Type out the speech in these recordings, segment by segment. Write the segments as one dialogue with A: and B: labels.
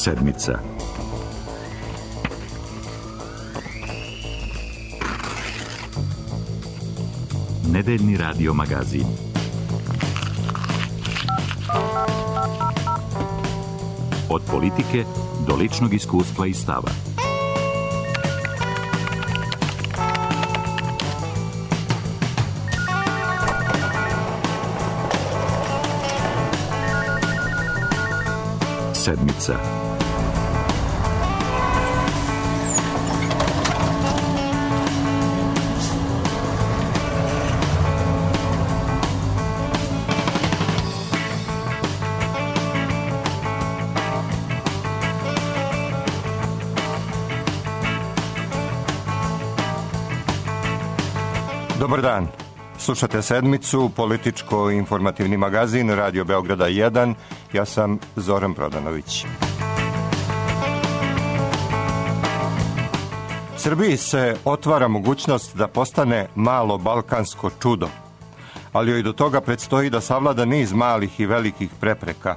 A: Sedmica. Nedeljni radio magazin. Od politike do ličnog iskustva i stava. Sedmica.
B: Dobar dan. Slušate Sedmicu, političko-informativni magazin Radio Beograda 1. Ja sam Zoran Prodanović. Srbiji se otvara mogućnost da postane malo balkansko čudo, ali joj do toga predstoji da savlada niz malih i velikih prepreka,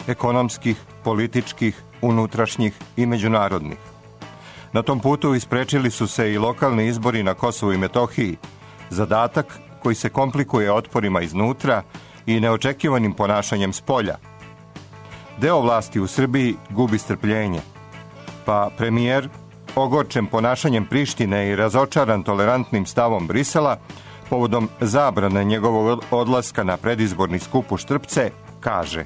B: ekonomskih, političkih, unutrašnjih i međunarodnih. Na tom putu isprečili su se i lokalni izbori na Kosovu i Metohiji, zadatak koji se komplikuje otporima iznutra i neočekivanim ponašanjem spolja. Deo vlasti u Srbiji gubi strpljenje, pa premijer, ogorčen ponašanjem Prištine i razočaran tolerantnim stavom Brisela, povodom zabrane njegovog odlaska na predizborni skup u Štrpce, kaže: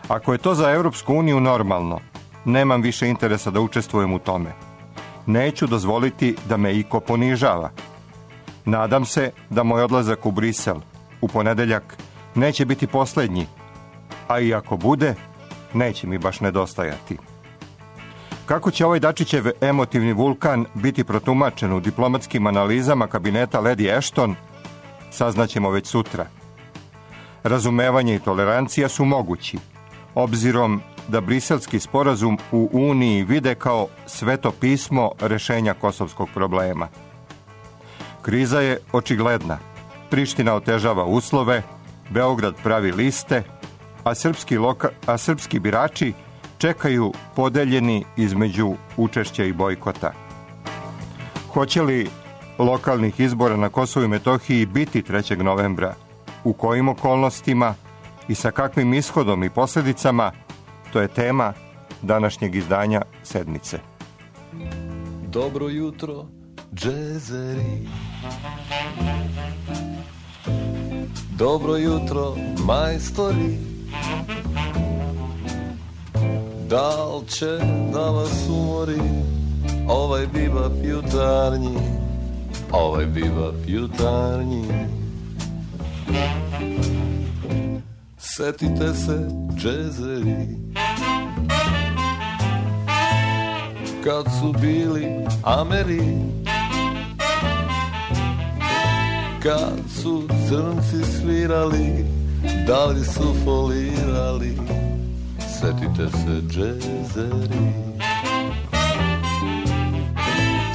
B: ako je to za Europsku uniju normalno, nemam više interesa da učestvujem u tome. Neću dozvoliti da me iko ponižava. Nadam se da moj odlazak u Brisel u ponedeljak neće biti posljednji, a i ako bude, neće mi baš nedostajati. Kako će ovaj Dačićev emotivni vulkan biti protumačen u diplomatskim analizama kabineta Lady Ashton, saznaćemo već sutra. Razumevanje i tolerancija su mogući, obzirom da briselski sporazum u Uniji vide kao sveto pismo rešenja kosovskog problema. Kriza je očigledna. Priština otežava uslove, Beograd pravi liste, a srpski birači čekaju podeljeni između učešća i bojkota. Hoće li lokalnih izbora na Kosovu i Metohiji biti 3. novembra? U kojim okolnostima i sa kakvim ishodom i posljedicama? To je tema današnjeg izdanja Sedmice.
C: Dobro jutro, džezeri. Dobro jutro, majstori. Da li će da vas umori ovaj bibap jutarnji, ovaj bibap jutarnji? Setite se, džezeri, kad su bili Ameri, kad su crnci svirali, da li su folirali? Setite se, džezeri.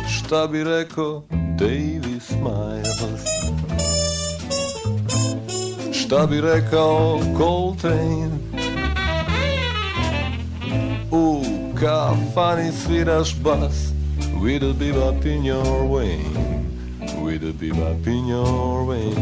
C: Šta bi rekao Davy Smiles? Šta bi rekao Coltrane? U kafani sviraš bas, with a bebop in your way, with a bebop in your way.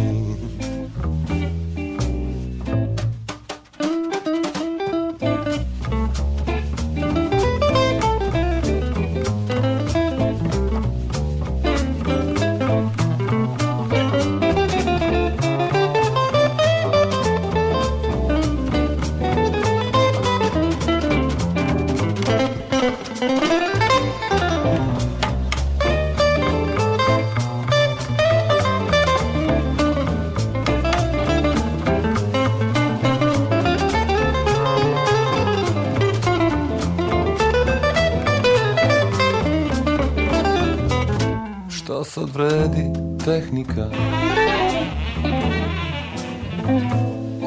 C: Sad vredi tehnika,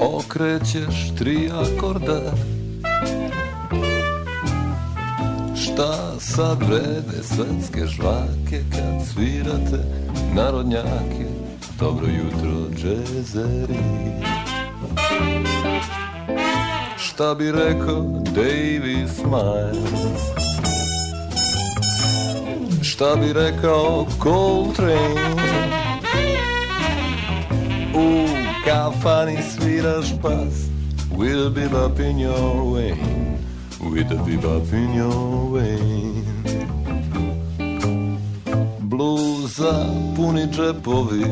C: okrećeš 3 akorda. Šta sad vrede svetske žvake kad svirate narodnjake? Dobro jutro, džezeri. šta bi rekao Davy Smiles, šta bi rekao Coltrane. U kafani sviraš bas with a bebop in your way, with a bebop in your way. Bluza puni džepovi,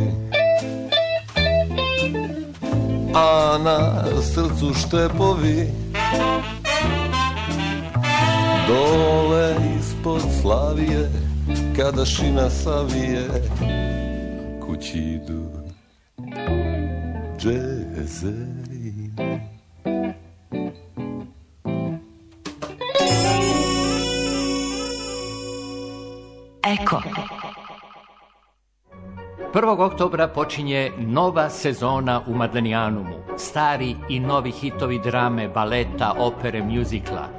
C: a na srcu štepovi. Dole ispod Slavije, kada šina savije, kući idu džezeri.
D: Eko.
E: 1. oktobra počinje nova sezona u Madlenijanumu. Stari i novi hitovi drame, baleta, opere, mjuzikla.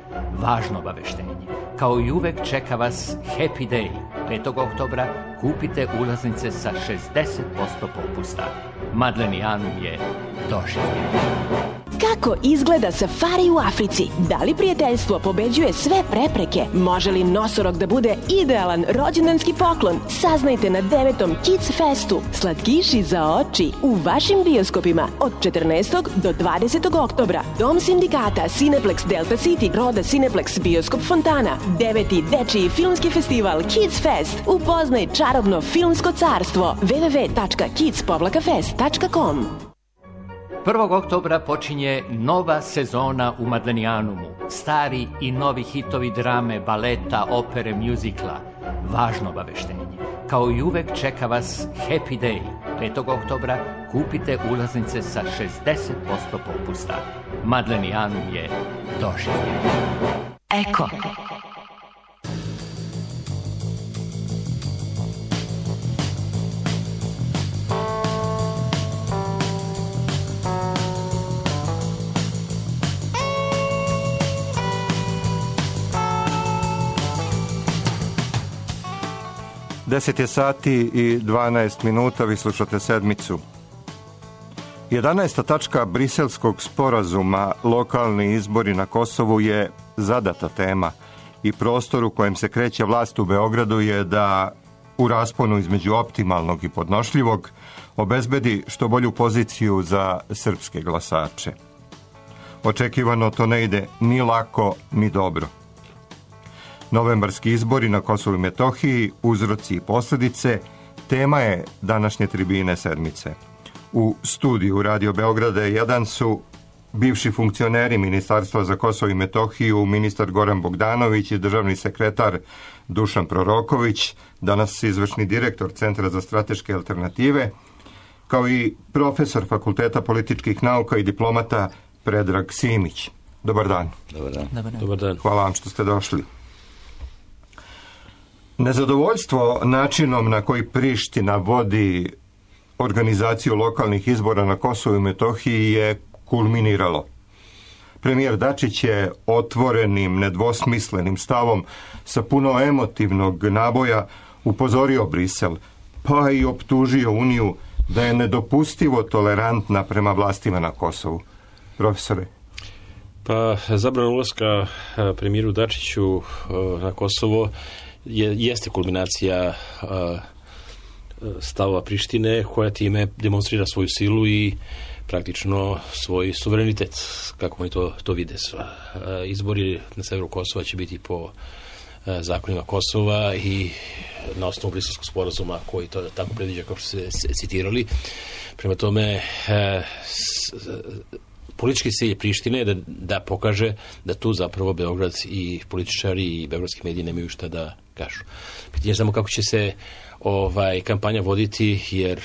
E: Važno obaveštenje. Kao i uvek čeka vas Happy Day. 5. oktobra kupite ulaznice sa 60% popusta. Madlenijanum je doživljen.
F: Kako izgleda safari u Africi? Da li prijateljstvo pobeđuje sve prepreke? Može li nosorog da bude idealan rođendanski poklon? Saznajte na 9. Kids Festu. Slatkiši za oči u vašim bioskopima od 14. do 20. oktobra. Dom sindikata, Cineplex Delta City, Roda Cineplex, Bioskop Fontana. 9. dečiji filmski festival Kids Fest. Upoznaj čarobno filmsko carstvo. www.kids-fest.com.
E: 1. oktobra počinje nova sezona u Madlenijanumu. Stari i novi hitovi drame, baleta, opere, mjuzikla. Važno obaveštenje. Kao i uvek čeka vas Happy Day. 5. oktobra kupite ulaznice sa 60% popusta. Madlenijanum je doživljen.
D: Eko.
B: Deset je sati i 12 minuta, vi slušate Sedmicu. 11. tačka briselskog sporazuma, lokalni izbori na Kosovu, je zadata tema i prostor u kojem se kreće vlast u Beogradu je da u rasponu između optimalnog i podnošljivog obezbedi što bolju poziciju za srpske glasače. Očekivano to ne ide ni lako ni dobro. Novembarski izbori na Kosovu i Metohiji, uzroci i posljedice, tema je današnje tribine Sedmice. U studiju Radio Beograda 1 su bivši funkcioneri Ministarstva za Kosovo i Metohiju, ministar Goran Bogdanović i državni sekretar Dušan Proroković, danas izvršni direktor Centra za strateške alternative, kao i profesor Fakulteta političkih nauka i diplomata Predrag Simić. Dobar dan.
G: Dobar dan.
H: Dobar dan.
B: Hvala vam što ste došli. Nezadovoljstvo načinom na koji Priština vodi organizaciju lokalnih izbora na Kosovu i Metohiji je kulminiralo. Premijer Dačić je otvorenim, nedvosmislenim stavom sa puno emotivnog naboja upozorio Brisel, pa i optužio Uniju da je nedopustivo tolerantna prema vlastima na Kosovu. Profesore?
H: Pa zabrana ulaska premijeru Dačiću na Kosovo jeste kulminacija stavova Prištine, koja time demonstrira svoju silu i praktično svoj suverenitet, kako oni to vide. Izbori na severu Kosova će biti po zakonima Kosova i na osnovu briselskog sporazuma koji to tako predviđa, kao što ste citirali. Prema tome, politički cilj Prištine je da pokaže da tu zapravo Beograd i političari i beogradski mediji nemaju šta da kažu. Pitanje je samo kako će se kampanja voditi, jer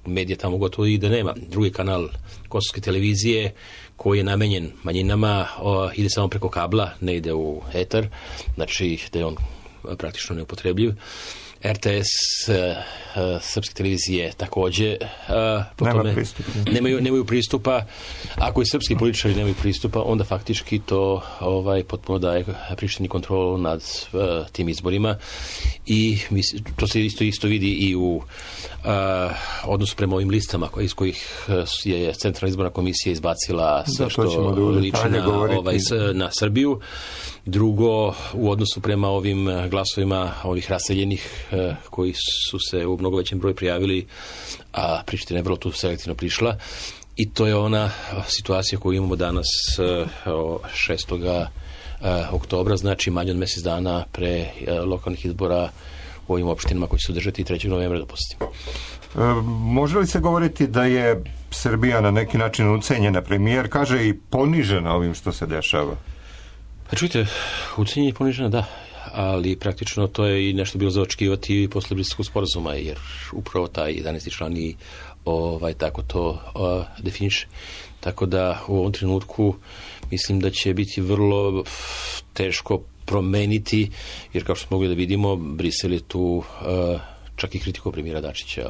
H: medija tamo gotovo i da nema. Drugi kanal kosovske televizije, koji je namenjen manjinama, ide samo preko kabla, ne ide u etar, znači da je on praktično neupotrebljiv. RTS, srpske televizije takođe nemaju pristupa. Ako i srpski političari nemaju pristupa, onda faktički to potpuno daje Prištini kontrolu nad tim izborima i to se isto vidi i u odnosu prema ovim listama iz kojih je Centralna izborna komisija izbacila sve što liči na Srbiju. Drugo, u odnosu prema ovim glasovima ovih raseljenih koji su se u mnogo većem broju prijavili, a Priština je vrlo tu selektivno prišla. I to je ona situacija koju imamo danas 6. oktobra, znači manje od mjesec dana pre lokalnih izbora u ovim opštinama koji će se održati 3. novembra, dopustimo.
B: Može li se govoriti da je Srbija na neki način ucenjena? Premijer kaže i ponižena ovim što se dešava.
H: Pa čujte, ucenjenje i ponižena, da, ali praktično to je i nešto bilo za očekivati posle Briselskog sporazuma, jer upravo taj 11. član i tako to definiše. Tako da u ovom trenutku mislim da će biti vrlo teško promeniti, jer kao što smo mogli da vidimo, Brisel je tu čak i kritiku premijera Dačića,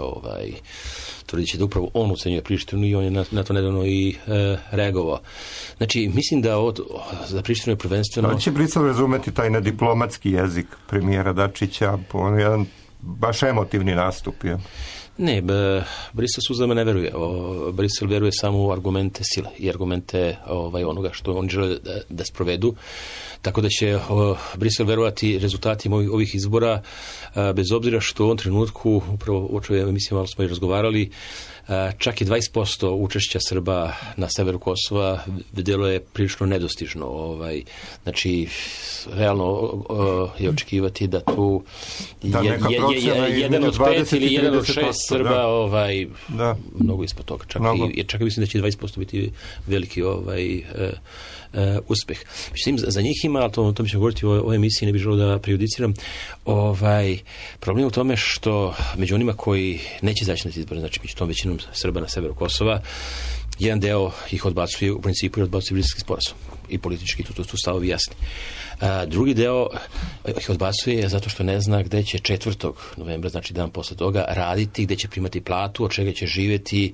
H: tvrdit će da upravo on ucenjuje Prištinu i on je na to nedavno i reagovao. Znači, mislim da za Prištinu je prvenstveno...
B: Da će Brisel razumeti taj nediplomatski jezik premijera Dačića, on je jedan baš emotivni nastup, je?
H: Ne, Brisel suzama ne veruje. Brisel veruje samo u argumente sile i argumente onoga što oni žele da sprovedu. Tako da će Brisel verovati rezultatima ovih izbora, bez obzira što u ovom trenutku, upravo o čemu mislim, malo smo i razgovarali, čak i 20% učešća Srba na severu Kosova delo je prilično nedostižno. Znači, realno je očekivati da tu jedan od 5 ili jedan od 6 Srba mnogo ispod toga. Čak i mislim da će 20% biti veliki uspeh. Mislim, za njih ima, ali to mi ćemo govoriti o ovoj emisiji, ne bih želeo da prejudiciram, problem je u tome što među onima koji neće zaći na izbore, znači među tom većinom Srba na severu Kosova, jedan deo ih odbacuje, u principu odbacuje Briselski sporazum i politički tu stavovi jasni. Drugi deo ih odbacuje zato što ne zna gde će 4. novembra, znači dan posle toga, raditi, gde će primati platu, od čega će živjeti.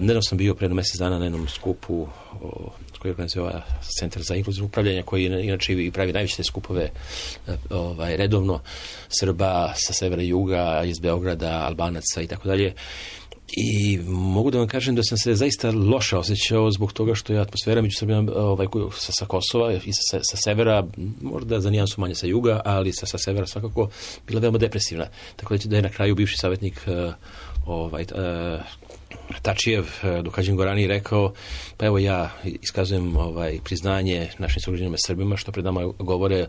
H: Nedavno sam bio pre mjesec dana na jednom skupu koji organizuje Centar za inkluzivno upravljanje, koji inače i pravi najveće te skupove redovno, Srba sa severa i juga, iz Beograda, Albanaca i tako dalje. I mogu da vam kažem da sam se zaista loše osjećao zbog toga što je atmosfera među Srbijama sa Kosova i sa severa, možda za nijansu manje sa juga, ali sa severa svakako bila veoma depresivna. Tako da je na kraju bivši savjetnik Tačijev, Dukađin Gorani, rekao, pa evo ja iskazujem priznanje našim sugrađanima Srbima što pred nama govore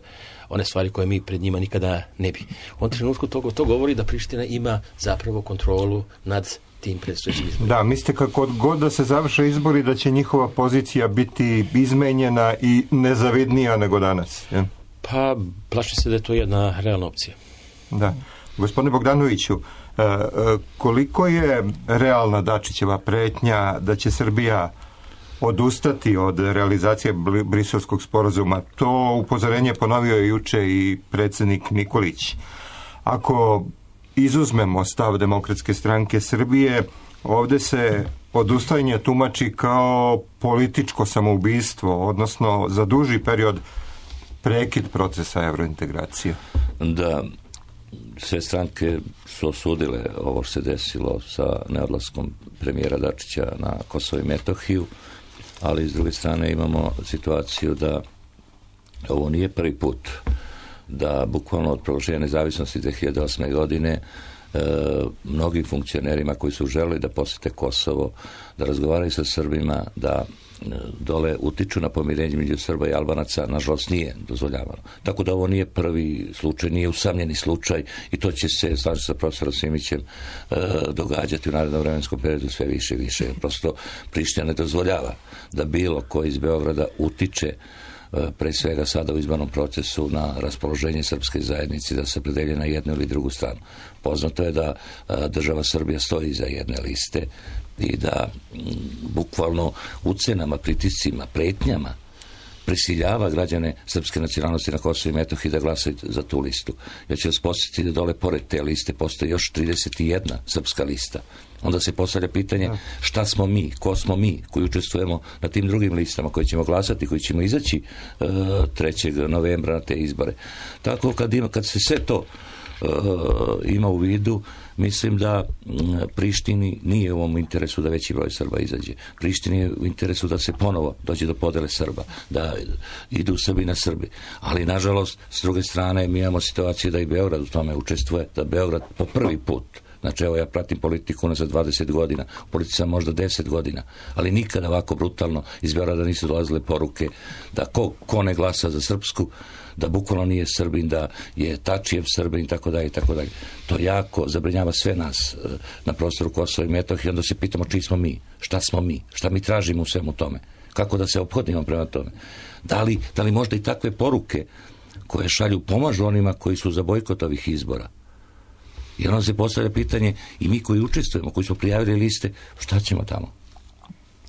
H: one stvari koje mi pred njima nikada ne bi. U ovom trenutku to govori da Priština ima zapravo kontrolu nad tim predstojećim izborima.
B: Da, mislite kako god da se završe izbori da će njihova pozicija biti izmenjena i nezavidnija nego danas? Je?
H: Pa, plašim se da je to jedna realna opcija.
B: Da. Gospodine Bogdanoviću, koliko je realna Dačićeva pretnja da će Srbija odustati od realizacije Briselskog sporazuma? To upozorenje ponovio je juče i predsjednik Nikolić. Ako izuzmemo stav Demokratske stranke Srbije, ovdje se odustajanje tumači kao političko samoubistvo, odnosno za duži period prekid procesa evrointegracije.
G: Da, sve stranke su osudile ovo što se desilo sa neodlaskom premijera Dačića na Kosovo i Metohiju, ali s druge strane imamo situaciju da ovo nije prvi put da bukvalno od proglašenja nezavisnosti 2008. godine mnogim funkcionerima koji su želeli da posete Kosovo, da razgovaraju sa Srbima, da dole utiču na pomirenje među Srba i Albanaca, nažalost nije dozvoljavano. Tako da ovo nije prvi slučaj, nije usamljeni slučaj i to će se, slažem sa profesorom Simićem, događati u narednom vremenskom periodu sve više i više. Prosto Priština ne dozvoljava da bilo ko iz Beograda utiče pre svega sada u izbornom procesu na raspoloženje srpske zajednice da se opredelje na jednu ili drugu stranu. Poznato je da država Srbija stoji iza jedne liste i da bukvalno ucenama, pritiscima, pretnjama prisiljava građane srpske nacionalnosti na Kosovo i Metohiji da glasaju za tu listu. Ja ću vas podsjetiti da dole pored te liste postoji još 31 srpska lista. Onda se postavlja pitanje šta smo mi, ko smo mi koji učestvujemo na tim drugim listama koji ćemo glasati, koji ćemo izaći 3. novembra na te izbore. Tako kad se sve to ima u vidu, mislim da Prištini nije u ovom interesu da veći broj Srba izađe. Prištini je u interesu da se ponovo dođe do podele Srba, da idu Srbi na Srbi. Ali, nažalost, s druge strane, mi imamo situaciju da i Beograd u tome učestvuje, da Beograd po prvi put, znači evo ja pratim politiku za 20 godina, u politici sam možda 10 godina, ali nikada ovako brutalno iz Beograda nisu dolazile poruke da ko ne glasa za srpsku, da bukvalno nije Srbin, da je Tačijev Srbin, tako dalje. To jako zabrinjava sve nas na prostoru Kosova i Metohije. Onda se pitamo čiji smo mi, šta mi tražimo u svemu tome, kako da se ophodimo prema tome. Da li možda i takve poruke koje šalju pomažu onima koji su za bojkot ovih izbora? Jer onda se postavlja pitanje i mi koji učestvujemo, koji smo prijavili liste, šta ćemo tamo?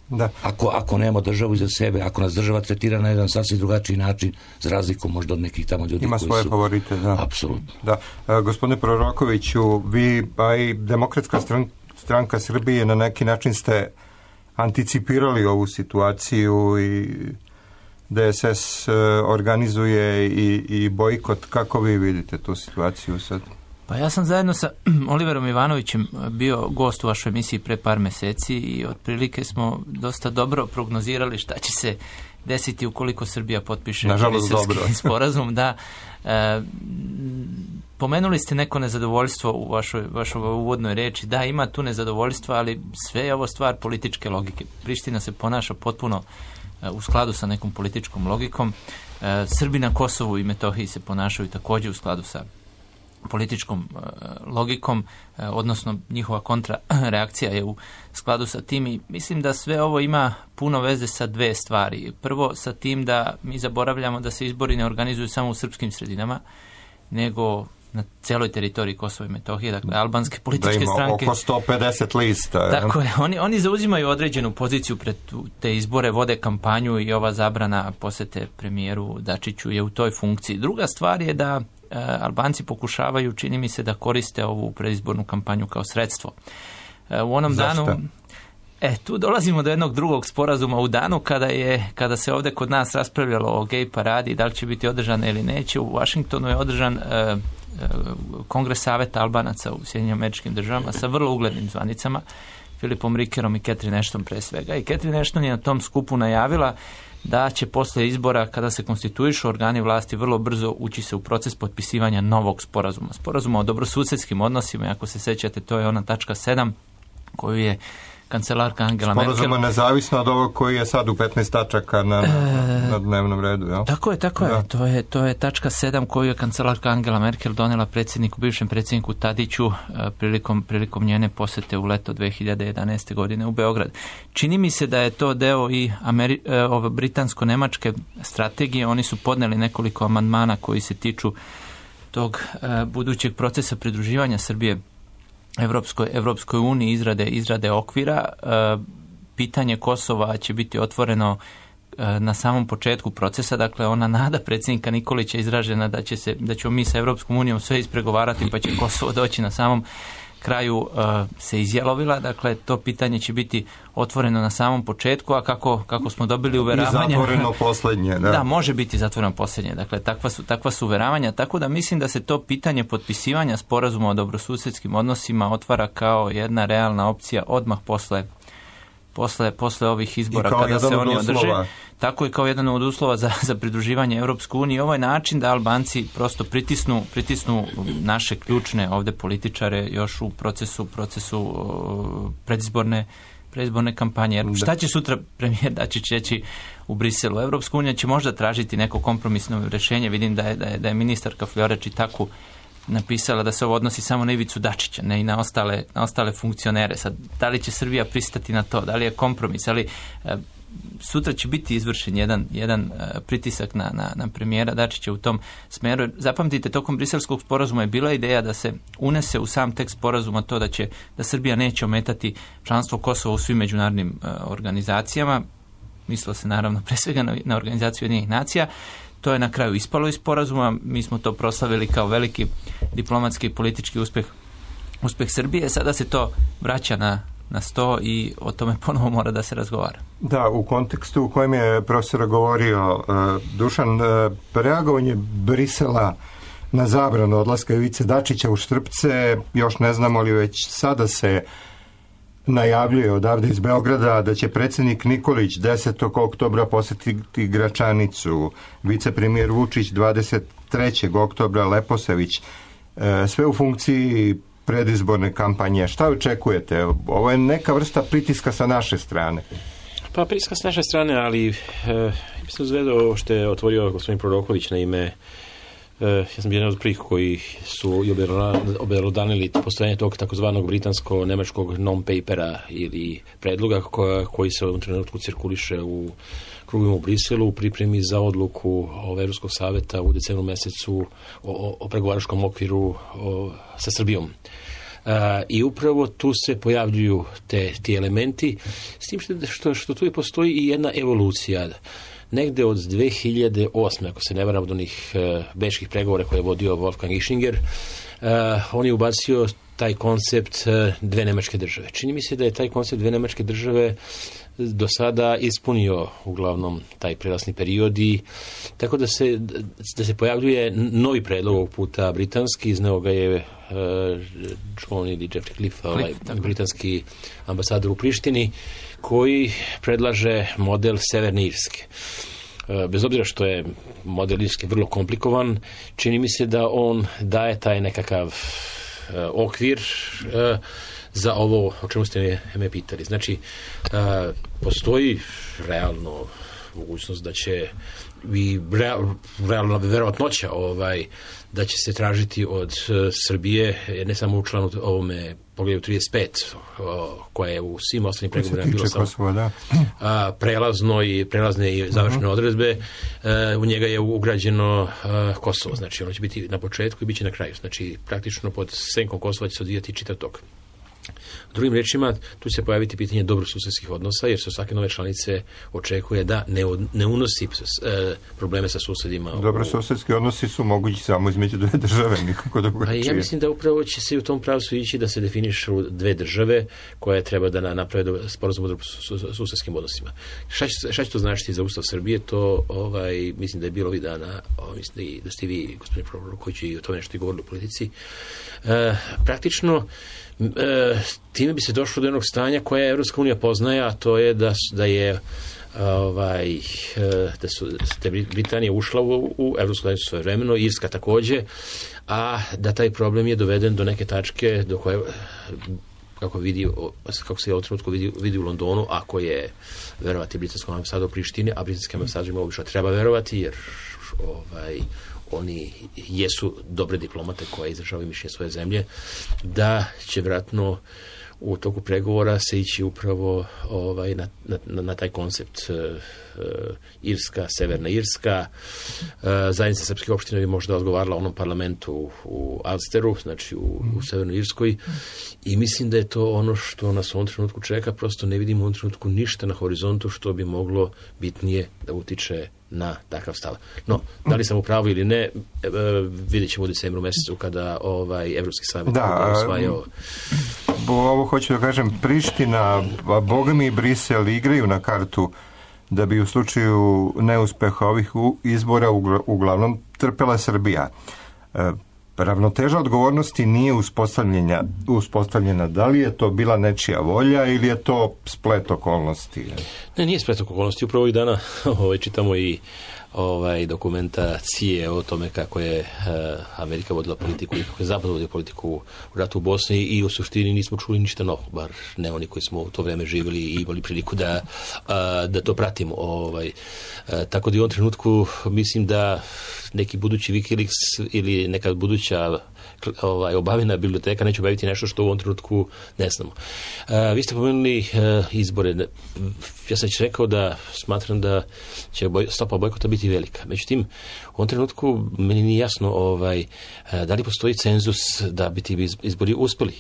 B: Da.
G: Ako nemamo državu iza sebe, ako nas država tretira na jedan sasvim drugačiji način, za razliku možda od nekih tamo ljudi
B: ima
G: koji
B: svoje
G: su...
B: favorite, da.
G: Apsolutno.
B: Da. Gospodine Prorokoviću, vi, a i Demokratska stranka Srbije, na neki način ste anticipirali ovu situaciju i DSS organizuje i bojkot. Kako vi vidite tu situaciju sad?
I: Pa ja sam zajedno sa Oliverom Ivanovićem bio gost u vašoj emisiji pre par meseci i otprilike smo dosta dobro prognozirali šta će se desiti ukoliko Srbija potpiše Briselski sporazum. Da, pomenuli ste neko nezadovoljstvo u vašoj uvodnoj reči. Da, ima tu nezadovoljstva, ali sve je ovo stvar političke logike. Priština se ponaša potpuno u skladu sa nekom političkom logikom. Srbi na Kosovu i Metohiji se ponašaju također u skladu sa političkom logikom, odnosno njihova kontrareakcija je u skladu sa tim i mislim da sve ovo ima puno veze sa dve stvari. Prvo sa tim da mi zaboravljamo da se izbori ne organizuju samo u srpskim sredinama, nego na celoj teritoriji Kosova i Metohije, dakle albanske političke stranke.
B: Da ima oko 150 lista.
I: Tako je, oni zauzimaju određenu poziciju pred te izbore, vode kampanju i ova zabrana posete premijeru Dačiću je u toj funkciji. Druga stvar je da Albanci pokušavaju, čini mi se, da koriste ovu predizbornu kampanju kao sredstvo. U onom
B: Zašto?
I: danu... tu dolazimo do jednog drugog sporazuma u danu kada se ovdje kod nas raspravljalo o gej paradi, da li će biti održana ili neće. U Washingtonu je održan Kongres saveta Albanaca u Sjedinjenim Američkim Državama sa vrlo uglednim zvanicama, Philipom Rickerom i Catherine Ashton pre svega. I Catherine Ashton je na tom skupu najavila da će posle izbora, kada se konstituišu organi vlasti, vrlo brzo ući se u proces potpisivanja novog sporazuma. Sporazuma o dobrosusedskim odnosima, ako se sećate, to je ona tačka 7 koju je kancelarka Angela Merkel...
B: Sporazuma nezavisno od ovog koji je sad u 15 tačaka na dnevnom redu, jel?
I: Tako je. To je tačka 7 koju je kancelarka Angela Merkel donela bivšem predsjedniku Tadiću prilikom njene posete u leto 2011. godine u Beograd. Čini mi se da je to deo i britansko-nemačke strategije. Oni su podneli nekoliko amandmana koji se tiču tog budućeg procesa pridruživanja Srbije Evropskoj uniji, izrade okvira. Pitanje Kosova će biti otvoreno na samom početku procesa, dakle ona nada predsjednika Nikolića izražena da ćemo mi sa Evropskom unijom sve ispregovarati pa će Kosovo doći na samom kraju se izjalovila, dakle to pitanje će biti otvoreno na samom početku, a kako smo dobili uveravanja...
B: I zatvoreno posljednje, da.
I: Da, može biti zatvoreno posljednje, dakle takva su uveravanja, tako da mislim da se to pitanje potpisivanja sporazuma o dobrosusedskim odnosima otvara kao jedna realna opcija odmah posle ovih izbora kada se oni održe. Tako je kao jedan od uslova za pridruživanje Europskoj uniji. Ovo je način da Albanci prosto pritisnu naše ključne ovdje političare još u procesu predizborne kampanje. Jer šta će sutra premijer Dačić reći u Briselu? Europska unija će možda tražiti neko kompromisno rješenje. Vidim da je ministarka Fljoreč i tako napisala da se ovo odnosi samo na Ivicu Dačića, ne i na ostale funkcionere. Sad, da li će Srbija pristati na to? Da li je kompromis? Ali sutra će biti izvršen jedan pritisak na premijera Dačića u tom smeru. Zapamtite, tokom briselskog sporazuma je bila ideja da se unese u sam tekst sporazuma to da Srbija neće ometati članstvo Kosova u svim međunarodnim organizacijama. mislilo se naravno pre svega na organizaciju Ujedinjenih nacija. To je na kraju ispalo iz sporazuma, mi smo to proslavili kao veliki diplomatski i politički uspeh Srbije, sada se to vraća na sto i o tome ponovo mora da se razgovara.
B: Da, u kontekstu u kojem je profesor govorio Dušan, reagovanje Brisela na zabranu odlaska Ivice Dačića u Štrpce, još ne znamo li već sada se najavljuje odavde iz Beograda da će predsjednik Nikolić 10. oktobra posjetiti Gračanicu, vicepremijer Vučić 23. oktobra, Leposević, sve u funkciji predizborne kampanje. Šta očekujete? Ovo je neka vrsta pritiska sa naše strane.
H: Pa pritiska sa naše strane, ali mislim zvedo što je otvorio gospodin Proroković na ime. Ja sam jedan od prvih koji su obelodanili postojanje tog takozvanog britansko-nemačkog non-papera ili predloga koji se u ovom trenutku cirkuliše u krugovima u Briselu u pripremi za odluku Evropskog saveta u decembru mesecu o pregovaračkom okviru sa Srbijom. I upravo tu se pojavljuju ti elementi, s tim što tu postoji i jedna evolucija. Negde od 2008. ako se ne varam od onih bečkih pregovora koje je vodio Wolfgang Ischinger, on je ubacio taj koncept dve nemačke države. Čini mi se da je taj koncept dve nemačke države do sada ispunio uglavnom taj prelazni period i tako da se pojavljuje novi predlog ovog puta britanski, izneo ga je John ili Jeffrey Cliff, britanski ambasador u Prištini, koji predlaže model Severne Irske. Bez obzira što je model Irske vrlo komplikovan, čini mi se da on daje taj nekakav okvir za ovo o čemu ste me pitali. Znači, postoji realno mogućnost da će i realno verovatnoća da će se tražiti od Srbije, ne samo u članu ovome poglavlju 35, koja je u svim ostalim pregovorima bilo samo prelazne i završne odredbe, u njega je ugrađeno Kosovo, znači ono će biti na početku i bit će na kraju, znači praktično pod senkom Kosova će se odvijati čitav tok. Drugim rečima, tu će se pojaviti pitanje dobrosusedskih odnosa, jer se svake nove članice očekuje da ne unosi probleme sa susedima.
B: Dobrosusedski odnosi su mogući samo između dve države, nikako drugačije.
H: Ja mislim da upravo će se u tom pravcu ići da se definišu dve države koje treba da naprave sporazum o dobrosusedskim odnosima. Šta će to značiti za Ustav Srbije? To mislim da je bilo ovih dana, mislim da ste vi, gospodin Proroković, i o tome nešto i govorili u politici. Praktično, time bi se došlo do jednog stanja koje Evropska unija poznaje, a to je da je Britanija ušla u Evropsku zajednicu svojevremeno, Irska takođe, a da taj problem je doveden do neke tačke do koje kako se u trenutku vidi u Londonu, ako je verovati britanskom ambasadu u Prištini, a britanskim ambasadorima obično treba verovati, jer oni jesu dobre diplomate koje izražavaju mišljenje svoje zemlje, da će vjerojatno u toku pregovora se ići upravo na taj koncept Irska, Severna Irska. Zajednica srpskih opština bi možda odgovarala onom parlamentu u Alsteru, znači u Severnoj Irskoj, i mislim da je to ono što nas u ovom trenutku čeka. Prosto ne vidimo u ovom trenutku ništa na horizontu što bi moglo bitnije da utiče na takav stav. No, da li sam u pravu ili ne, vidjet ćemo u decembru mesecu kada Evropski savjet usvajao.
B: Ovo hoću da kažem, Priština, bogami i Brisel igraju na kartu da bi u slučaju neuspeha ovih izbora uglavnom trpela Srbija. Ravnoteža odgovornosti nije uspostavljena. Da li je to bila nečija volja ili je to splet okolnosti?
H: Ne, nije splet okolnosti. Upravo ovih dana čitamo i dokumentacije o tome kako je Amerika vodila politiku i kako je Zapad vodio politiku u ratu u Bosni, i u suštini nismo čuli ništa novo, bar ne oni koji smo u to vreme živjeli i imali priliku da to pratimo. Tako da u ovom trenutku mislim da neki budući Wikileaks ili neka buduća obavljena biblioteka neće obaviti nešto što u ovom trenutku ne znamo. Vi ste pomenuli izbore. Ja sam rekao da smatram da će stopa bojkota biti velika. Međutim, u ovom trenutku meni nije jasno da li postoji cenzus da bi ti izbori uspeli.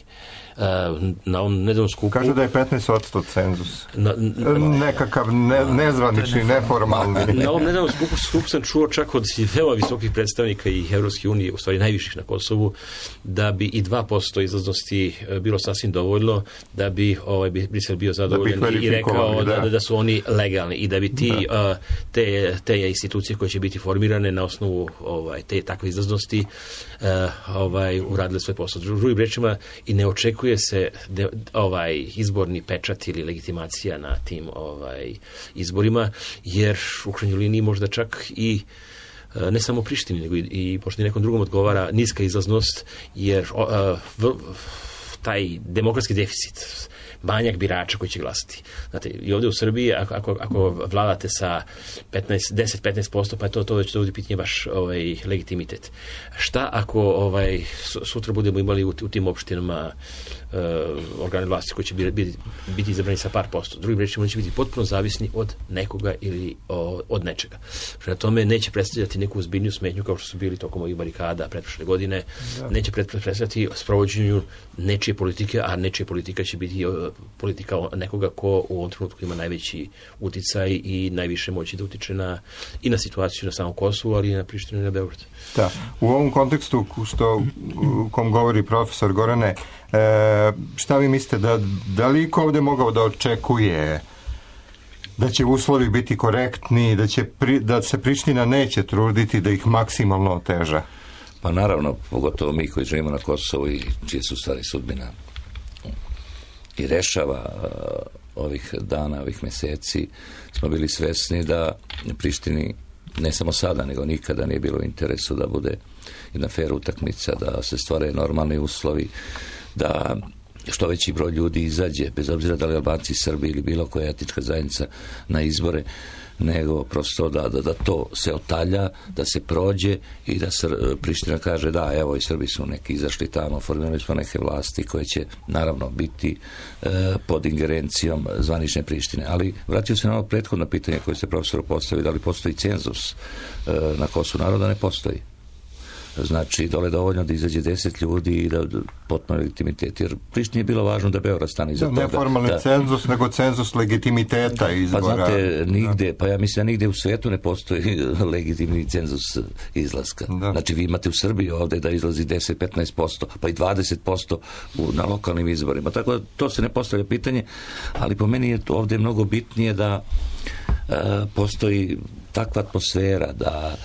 H: Na ovom nedavnom skupu...
B: Kažu da je 15% cenzus. Nekakav nezvanični, neformalni.
H: Na ovom nedavnom skupu sam čuo čak od veoma visokih predstavnika i Evropske unije, u stvari najviših na Kosovu, da bi i 2% izlaznosti bilo sasvim dovoljno, da bi Brisel bio zadovoljan i rekao da su oni legalni i da bi te institucije koje će biti formirane na osnovu te takve izlaznosti uradile svoj posao. Drugim rečima, i ne očekuje se izborni pečat ili legitimacija na tim izborima, jer u krajnjoj liniji možda čak i ne samo Prištini, nego i možda nekom drugom odgovara niska izlaznost, jer taj demokratski deficit, manjak birača koji će glasati. Znate, i ovdje u Srbiji, ako vladate sa 10-15%, pa to već dovodi pitanje vaš legitimitet. Šta ako sutra budemo imali u tim opštinama organe vlasti koji će biti izabrani sa par posto? Drugim rečima, oni će biti potpuno zavisni od nekoga ili od nečega. Prema tome, neće predstavljati neku ozbiljniju smetnju kao što su bili tokom ovih barikada pretprošle godine. Neće predstavljati sprovođenju nečije politike, a nečija politika će biti politika nekoga ko u ovom trenutku ima najveći uticaj i najviše moći da utiče i na situaciju na samom Kosovu, ali i na Prištinu i na Beograd.
B: Da. U ovom kontekstu u kom govori profesor Gorane, šta vi mislite, da li iko ovdje mogao da očekuje da će uslovi biti korektni, da se Priština neće truditi da ih maksimalno oteža?
G: Pa naravno, pogotovo mi koji živimo na Kosovu i čije su stvari sudbina i rešava ovih dana, ovih mjeseci, smo bili svesni da Prištini ne samo sada, nego nikada nije bilo u interesu da bude jedna fair utakmica, da se stvore normalni uslovi, da što veći broj ljudi izađe, bez obzira da li Albanci, Srbi ili bilo koja etnička zajednica na izbore, nego prosto da to se otalja, da se prođe i da se Priština kaže da, evo i Srbi su neki izašli tamo, formirali smo neke vlasti koje će naravno biti pod ingerencijom zvanične Prištine. Ali vratio se na ovo prethodno pitanje koje ste profesoru postavili, da li postoji cenzus na Kosovu naroda? Ne postoji. Znači, dole dovoljno da izađe 10 ljudi i da potpuno legitimitet. Jer Prištini je bilo važno da Beograd stane iza toga.
B: Ne formalni cenzus, nego cenzus legitimiteta izbora.
G: Pa znate, ja mislim da nigde u svijetu ne postoji legitimni cenzus izlaska. Da. Znači, vi imate u Srbiji ovdje da izlazi 10-15%, pa i 20% na lokalnim izborima. Tako da to se ne postavlja pitanje, ali po meni je ovdje mnogo bitnije da postoji takva atmosfera, da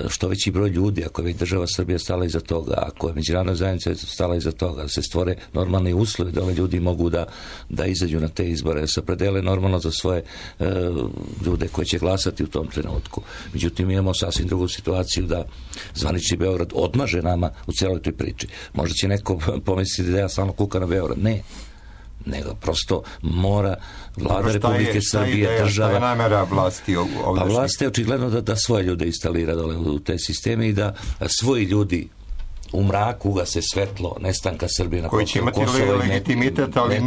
G: što veći broj ljudi, ako je država Srbija stala iza toga, ako je međunarodna zajednica stala iza toga, da se stvore normalni uslovi, da ljudi mogu da izađu na te izbore, da se opredele normalno za svoje ljude koji će glasati u tom trenutku. Međutim, imamo sasvim drugu situaciju da zvanični Beograd odmaže nama u cijeloj toj priči. Možda će neko pomisliti da ja samo kukam na Beograd. Ne. Nego prosto mora vlada Republike Srbije, država...
B: Šta je namera vlasti ovdje?
G: Pa vlast je očigledno da svoje ljude instalira dole u te sisteme i da svoji ljudi u mraku ugase svetlo nestanka Srbije na Kosovo.
B: Koji će imati legitimitet, ali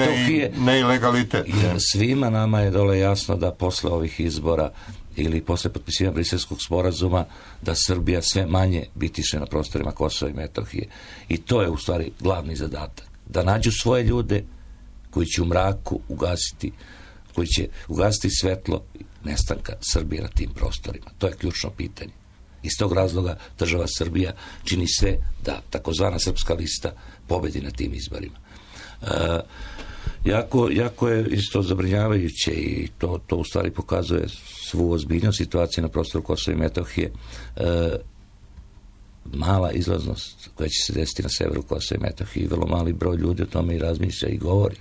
B: ne i legalitet.
G: Jer svima nama je dole jasno da posle ovih izbora ili posle potpisivanja Briselskog sporazuma da Srbija sve manje bitiše na prostorima Kosova i Metohije. I to je u stvari glavni zadatak. Da nađu svoje ljude koji će u mraku ugasiti svetlo nestanka Srbije na tim prostorima. To je ključno pitanje. Iz tog razloga država Srbija čini sve da takozvana srpska lista pobedi na tim izborima. Jako je isto zabrinjavajuće i to u stvari pokazuje svu ozbiljnost situacije na prostoru Kosova i Metohije. Mala izlaznost koja će se desiti na severu Kosova i Metohije i vrlo mali broj ljudi o tome i razmišlja i govori.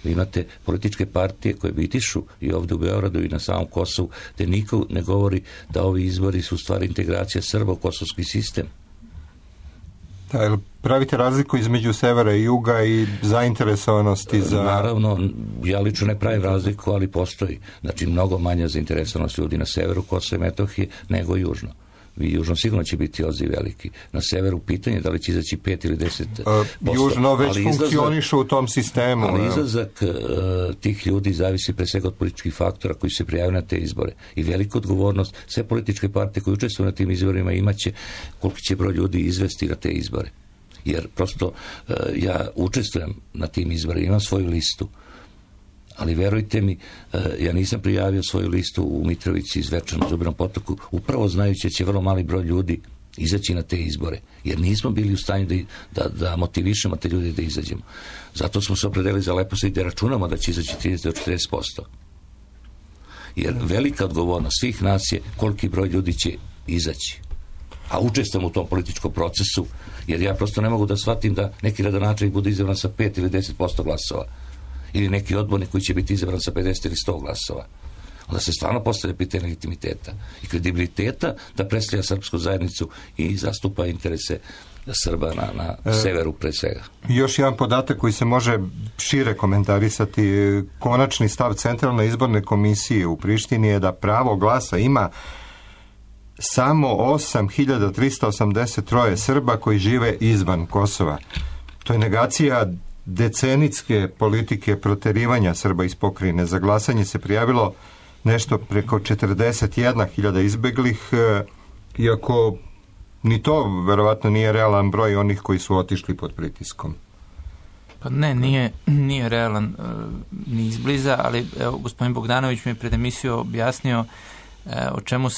G: Vi imate političke partije koje bitišu i ovdje u Beogradu i na samom Kosovu, gdje niko ne govori da ovi izbori su u stvari integracija Srba u kosovski sistem.
B: Da, pravite razliku između severa i juga i zainteresovanosti za...
G: Naravno, ja lično ne pravim razliku, ali postoji. Znači, mnogo manja zainteresovanost ljudi na severu Kosova i Metohije nego južno. I južno sigurno će biti odziv veliki. Na severu pitanje da li će izaći 5 ili 10%.
B: Južno već funkcionišu u tom sistemu.
G: Ali izlazak tih ljudi zavisi pre svega od političkih faktora koji se prijavaju na te izbore. I veliku odgovornost sve političke partije koje učestvuju na tim izborima imaće koliki će broj ljudi izvesti na te izbore. Jer prosto ja učestvujem na tim izborima, imam svoju listu. Ali verujte mi, ja nisam prijavio svoju listu u Mitrovici, Zvečanu, Zubinom Potoku, upravo znajući da će vrlo mali broj ljudi izaći na te izbore. Jer nismo bili u stanju da motivišemo te ljudi da izađemo. Zato smo se opredelili za Leposavić i da računamo da će izaći 30 do 40%. Jer velika odgovornost svih nas je koliki broj ljudi će izaći. A učestvujem u tom političkom procesu, jer ja prosto ne mogu da shvatim da neki gradonačelnik bude izabran sa 5 ili 10% glasova. Ili neki odbornik koji će biti izabran sa 50 ili 100 glasova. Onda se stvarno postavlja pitanje legitimiteta i kredibiliteta da predstavlja srpsku zajednicu i zastupa interese Srba na severu pre svega.
B: Još jedan podatak koji se može šire komentarisati. Konačni stav Centralne izborne komisije u Prištini je da pravo glasa ima samo 8.383 Srba koji žive izvan Kosova. To je negacija decenijske politike proterivanja Srba iz pokrajine. Za glasanje se prijavilo nešto preko 41.000 izbeglih, iako ni to verovatno nije realan broj onih koji su otišli pod pritiskom.
I: Pa ne, nije realan ni izbliza, ali evo, gospodin Bogdanović mi je pred emisiju objasnio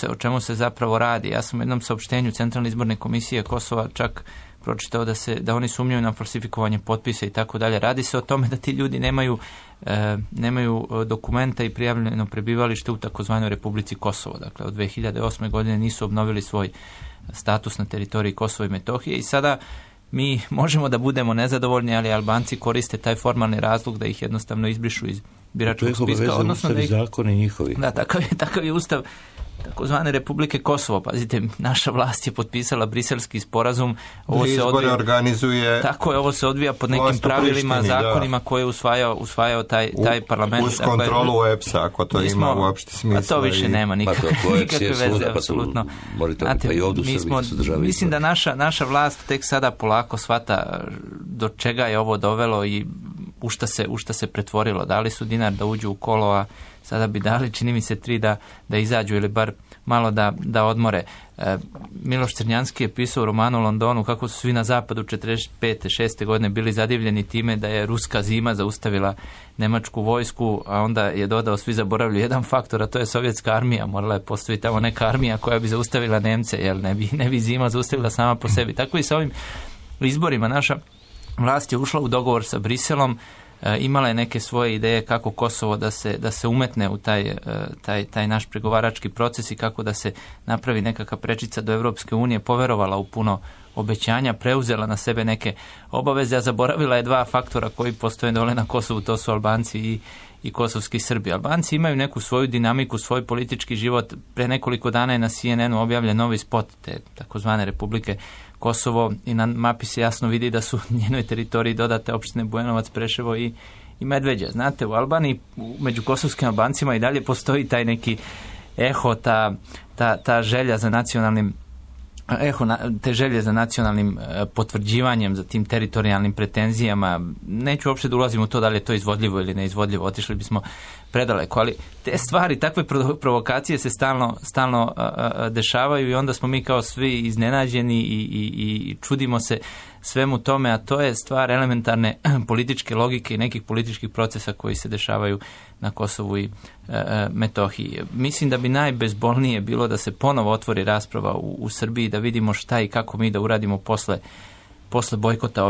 I: o čemu se zapravo radi. Ja sam u jednom saopštenju Centralne izborne komisije Kosova čak pročitao da oni sumnjaju na falsifikovanje potpisa i tako dalje. Radi se o tome da ti ljudi nemaju dokumenta i prijavljeno prebivalište u takozvanoj Republici Kosovo. Dakle, od 2008. godine nisu obnovili svoj status na teritoriji Kosova i Metohije i sada mi možemo da budemo nezadovoljni, ali Albanci koriste taj formalni razlog da ih jednostavno izbrišu iz biračkog spiska.
G: Odnosno da ih zakoni njihovi.
I: Da, takav je ustav takozvane Republike Kosovo. Pazite, naša vlast je potpisala briselski sporazum.
B: Izbore organizuje.
I: Tako je, ovo se odvija pod nekim pravilima, zakonima koje je usvajao taj parlament.
B: Uz kontrolu EPS-a, ako to ima uopšte smisla.
I: A to više nema nikakve veze, apsolutno. Mislim da naša vlast tek sada polako shvata do čega je ovo dovelo i u šta se pretvorilo. Dali su dinar da uđu u kolo, a sada bi dali, čini mi se, 3 da izađu ili bar malo da odmore. Miloš Crnjanski je pisao u romanu Londonu kako su svi na zapadu 45. 6. godine bili zadivljeni time da je ruska zima zaustavila nemačku vojsku, a onda je dodao svi zaboravljaju jedan faktor, a to je sovjetska armija. Morala je postaviti tamo neka armija koja bi zaustavila Nemce, jer ne bi zima zaustavila sama po sebi. Tako i sa ovim izborima naša vlast je ušla u dogovor sa Briselom, imala je neke svoje ideje kako Kosovo da se umetne u taj naš pregovarački proces i kako da se napravi nekakva prečica do Evropske unije, poverovala u puno obećanja, preuzela na sebe neke obaveze, a zaboravila je 2 faktora koji postoje dole na Kosovu, to su Albanci i kosovski Srbi. Albanci imaju neku svoju dinamiku, svoj politički život. Pre nekoliko dana je na CNN-u objavljen novi spot te takozvane Republike Kosovo i na mapi se jasno vidi da su njenoj teritoriji dodate opštine Bujanovac, Preševo i Medveđa. Znate, u Albaniji među kosovskim Albancima i dalje postoji taj neki eho, ta želja za nacionalnim te želje za nacionalnim potvrđivanjem, za tim teritorijalnim pretenzijama. Neću uopšte da ulazim u to da li je to izvodljivo ili neizvodljivo, otišli bismo predaleko, ali te stvari, takve provokacije se stalno dešavaju i onda smo mi kao svi iznenađeni i čudimo se svemu tome, a to je stvar elementarne političke logike i nekih političkih procesa koji se dešavaju na Kosovu i Metohiji. Mislim da bi najbezbolnije bilo da se ponovo otvori rasprava u Srbiji, da vidimo šta i kako mi da uradimo posle bojkota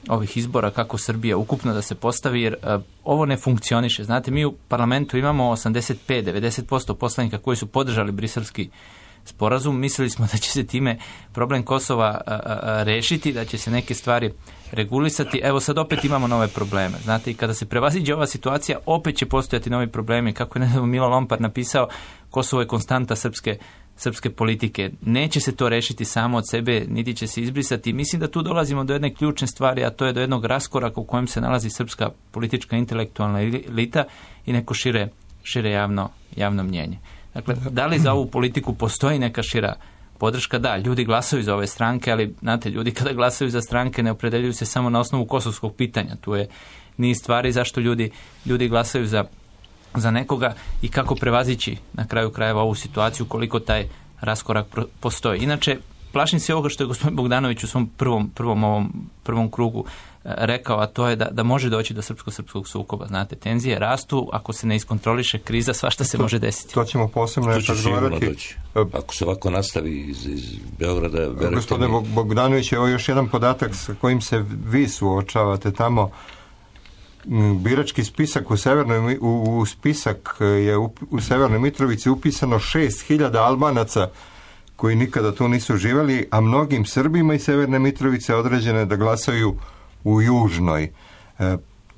I: ovih izbora, kako Srbija ukupno da se postavi, jer ovo ne funkcioniše. Znate, mi u parlamentu imamo 85-90% poslanika koji su podržali briselski sporazum. Mislili smo da će se time problem Kosova rešiti, da će se neke stvari regulisati. Evo sad opet imamo nove probleme. Znate, i kada se prevaziđe ova situacija, opet će postojati novi problemi. Kako je Milo Lompar napisao, Kosovo je konstanta srpske politike. Neće se to rešiti samo od sebe, niti će se izbrisati. Mislim da tu dolazimo do jedne ključne stvari, a to je do jednog raskoraka u kojem se nalazi srpska politička intelektualna elita i neko šire javno mnjenje. Dakle, da li za ovu politiku postoji neka šira podrška, da, ljudi glasaju za ove stranke, ali znate, ljudi kada glasaju za stranke ne opredeljuju se samo na osnovu kosovskog pitanja. Tu je niz stvari zašto ljudi glasaju za nekoga i kako prevazići na kraju krajeva ovu situaciju, koliko taj raskorak postoji. Inače, plašim se ovoga što je gospodin Bogdanović u svom prvom krugu rekao, a to je da može doći do srpsko-srpskog sukoba. Znate, tenzije rastu, ako se ne iskontroliše kriza, svašta se može desiti.
B: To ćemo posebno razgovarati.
G: Ako se ovako nastavi iz Beograda...
B: Gospodine Bogdanović, evo još jedan podatak sa kojim se vi suočavate tamo. Birački spisak u spisak je u Severnoj Mitrovici upisano 6.000 Albanaca koji nikada tu nisu živjeli, a mnogim Srbima iz Severne Mitrovice određene da glasaju u Južnoj.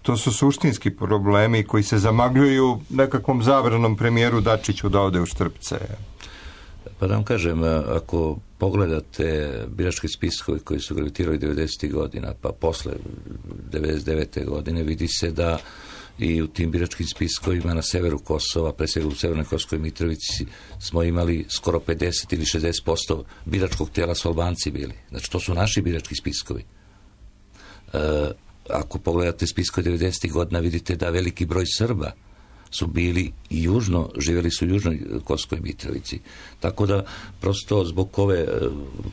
B: To su suštinski problemi koji se zamagljuju nekakvom zabranom premijeru Dačiću da ode u Štrpce.
G: Pa da vam kažem, ako pogledate biračke spiskove koji su gravitirali 90. godina, pa posle 99. godine, vidi se da i u tim biračkim spiskovima na severu Kosova, pre svega u Severnoj Kosovskoj Mitrovici, smo imali skoro 50 ili 60% biračkog tela su Albanci bili. Znači, to su naši birački spiskovi. Ako pogledate spiskove 90. godina, vidite da veliki broj Srba su bili i južno, živjeli su u južnoj Kosovskoj Mitrovici. Tako da, prosto zbog ove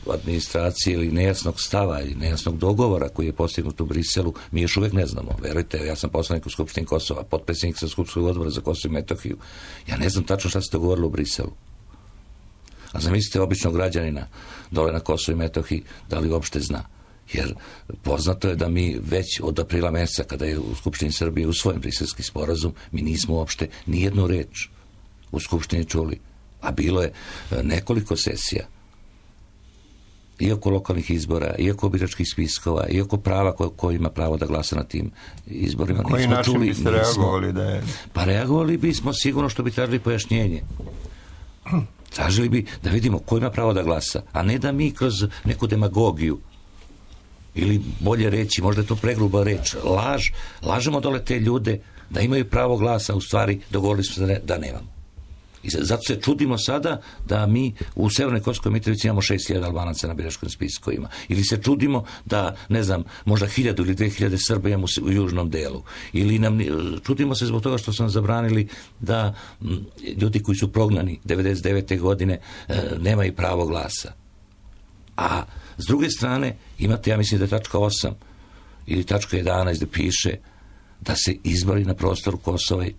G: administracije ili nejasnog stava ili nejasnog dogovora koji je postignut u Briselu, mi još uvijek ne znamo. Verujte, ja sam poslanik u Skupštini Kosova, potpredsjednik sa Skupštskog odbora za Kosovo i Metohiju. Ja ne znam tačno šta se dogovorilo u Briselu. A zamislite običnog građanina dole na Kosovo i Metohiji, da li uopšte zna. Jer poznato je da mi već od aprila mjeseca, kada je u Skupštini Srbije usvojen briselski sporazum, mi nismo uopšte nijednu reč u Skupštini čuli. A bilo je nekoliko sesija. I oko lokalnih izbora, i oko biračkih spiskova, i oko prava ko ima pravo da glasa na tim izborima.
B: Koji način biste reagovali da je...
G: Pa reagovali bismo sigurno što bi tražili pojašnjenje. Tražili bi da vidimo ko ima pravo da glasa, a ne da mi kroz neku demagogiju ili bolje reći, možda je to pregruba reč, lažemo dole te ljude da imaju pravo glasa, u stvari dogovorili smo se da nemamo. I zato se čudimo sada da mi u Severnoj Kosovskoj Mitrovici imamo 6.000 Albanaca na biračkim spiskovima. Ili se čudimo da, ne znam, možda 1.000 ili 2.000 Srba imamo u južnom delu. Ili čudimo se zbog toga što su nam zabranili da ljudi koji su prognani 99. godine nemaju pravo glasa. A s druge strane, imate, ja mislim da je tačka 8 ili tačka 11 da piše da se izbori na prostoru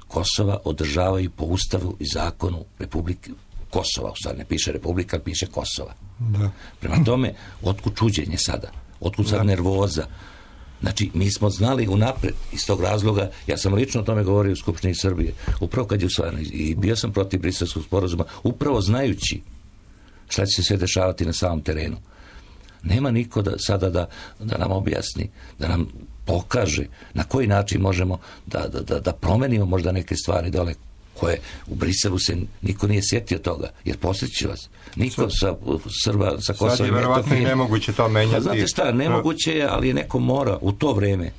G: Kosova održavaju po Ustavu i zakonu Republike Kosova. U stvari ne piše Republika, ali piše Kosova.
B: Da.
G: Prema tome, otkud čuđenje sada? Otkud sad nervoza? Znači, mi smo znali unapred iz tog razloga, ja sam lično o tome govorio u Skupštini Srbije, upravo kad je usvajano i bio sam protiv briselskog sporazuma, upravo znajući šta će se sve dešavati na samom terenu. Nema niko sada da nam objasni, da nam pokaže na koji način možemo da promenimo možda neke stvari dole koje u Briselu se niko nije sjetio toga, jer posjeću vas. Niko sa Srba, sa Kosova i Metohije...
B: Sad je verovatno i nemoguće to menjati.
G: Znate šta, nemoguće je, ali je neko mora u to vreme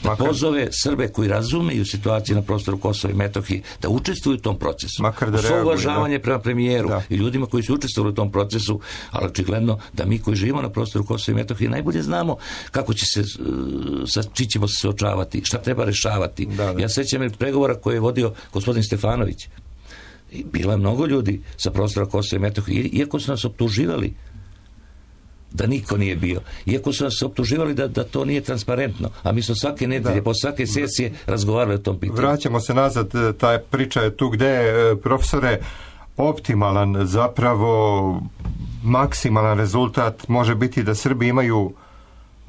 G: da pozove Srbe koji razumeju situaciju na prostoru Kosova i Metohije da učestvuju u tom procesu.
B: Svo
G: uvažavanje prema premijeru i ljudima koji su učestvovali u tom procesu, ali očigledno da mi koji živimo na prostoru Kosova i Metohije najbolje znamo kako će se, sa čim ćemo se suočavati, šta treba rešavati. Ja sećam pregovora koje je vodio gospodin Stefanović. I bilo je mnogo ljudi sa prostora Kosova i Metohije, iako su nas optuživali da niko nije bio. Iako su nas optuživali da to nije transparentno, a mi smo svake nedelje, po svake sesije razgovarali o tom pitanju.
B: Vraćamo se nazad, ta priča je tu gde je, profesore, optimalan, zapravo maksimalan rezultat može biti da Srbi imaju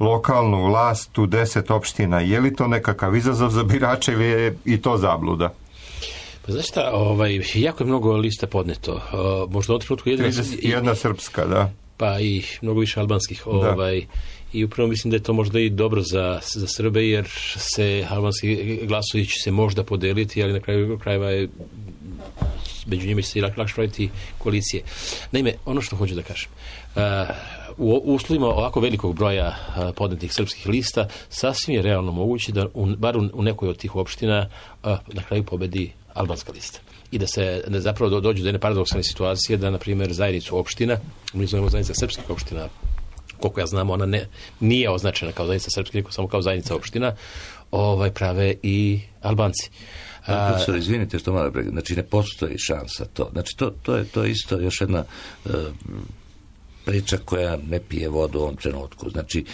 B: lokalnu vlast u 10 opština. Je li to nekakav izazov za birače ili je i to zabluda?
H: Pa znaš šta, jako je mnogo lista podneto. Možda od trenutku
B: jedna srpska, da.
H: Pa i mnogo više albanskih. I upravo mislim da je to možda i dobro za Srbe, jer se albanski glasovi će se možda podeliti, ali na kraju krajeva je među njima će se lakše praviti koalicije. Naime, ono što hoću da kažem, u uslovima ovako velikog broja podnetih srpskih lista sasvim je realno moguće da bar u nekoj od tih opština na kraju pobedi albanska lista. I da se zapravo dođu do jedne paradoksalne situacije da, na primjer, zajednicu opština, mi zovemo zajednica srpskih opština, koliko ja znam, ona nije označena kao zajednica srpskih, nego samo kao zajednica opština, prave i Albanci.
G: Profesor, izvinite što malo, znači ne postoji šansa to. Znači to je isto još jedna priča koja ne pije vodu u ovom trenutku. Znači,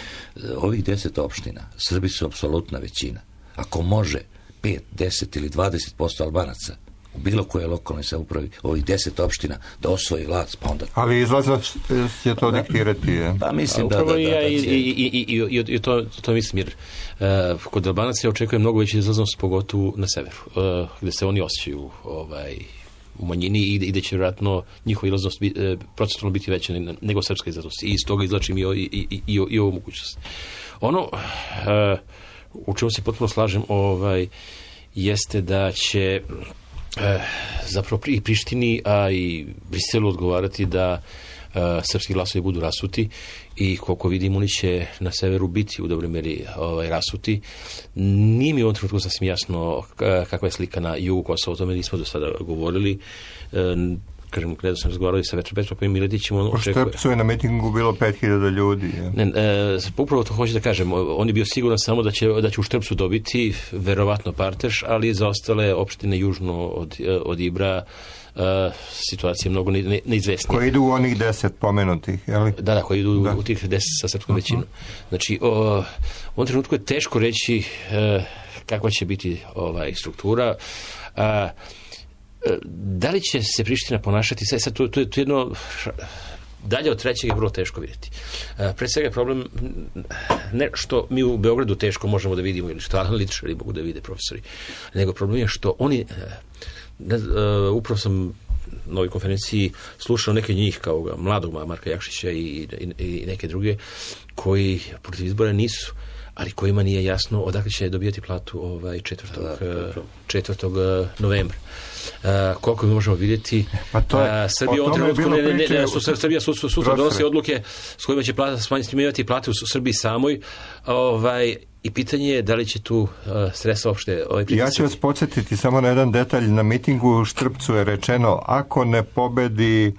G: ovih 10 opština, Srbi su apsolutna većina. Ako može 5, 10 ili 20% Albanaca u bilo koje lokalnoj samoupravi, ovih 10 opština, da osvoji vlast, pa onda...
B: Ali izlaznost će to diktirati, je?
G: Pa mislim da...
H: I to mislim, jer kod Albanaca očekuje mnogo veći izlaznost, pogotovo na severu, gde se oni osjećaju u manjini i da će vjerojatno njihova izlaznost procentualno biti veća nego srpska izlaznost. I iz toga izlačim i ovu mogućnost. Ono u čemu se potpuno slažem jeste da će zapravo i Prištini, a i Briselu odgovarati da srpski glasovi budu rasuti i koliko vidim oni će na severu biti u dobroj meri rasuti. Nije mi u ovom trenutku sasvim jasno kakva je slika na jugu Kosova, o tome nismo do sada govorili. Kažem, kada sam razgovarali sa Petrom Miletićem,
B: u Štrpcu je na mitingu bilo 5000 ljudi.
H: Upravo to hoću da kažem, on je bio siguran samo da će u Štrpcu dobiti verovatno partež, ali za ostale opštine južno od Ibra situacija je mnogo neizvesnija.
B: Koji idu u onih 10 pomenutih, je li?
H: Da, koji idu u tih 10 sa srpskom većinom. Znači, u ovom trenutku je teško reći kakva će biti struktura. Da li će se Priština ponašati, sad to je jedno dalje od trećeg je vrlo teško vidjeti. Pre svega je problem ne što mi u Beogradu teško možemo da vidimo ili što analitičari mogu da vide, profesori, nego problem je što oni upravo sam na ovoj konferenciji slušao neke njih kao mladog Marka Jakšića i neke druge koji protiv izbora nisu, ali kojima nije jasno odakle će dobijati platu 4. novembra. Koliko mi možemo vidjeti, Srbija sutra donosi odluke s kojima će smanjiti plate u Srbiji samoj, i pitanje je da li će tu sredstva uopšte
B: Ja ću vas podsjetiti samo na jedan detalj. Na mitingu u Štrpcu je rečeno, ako ne pobedi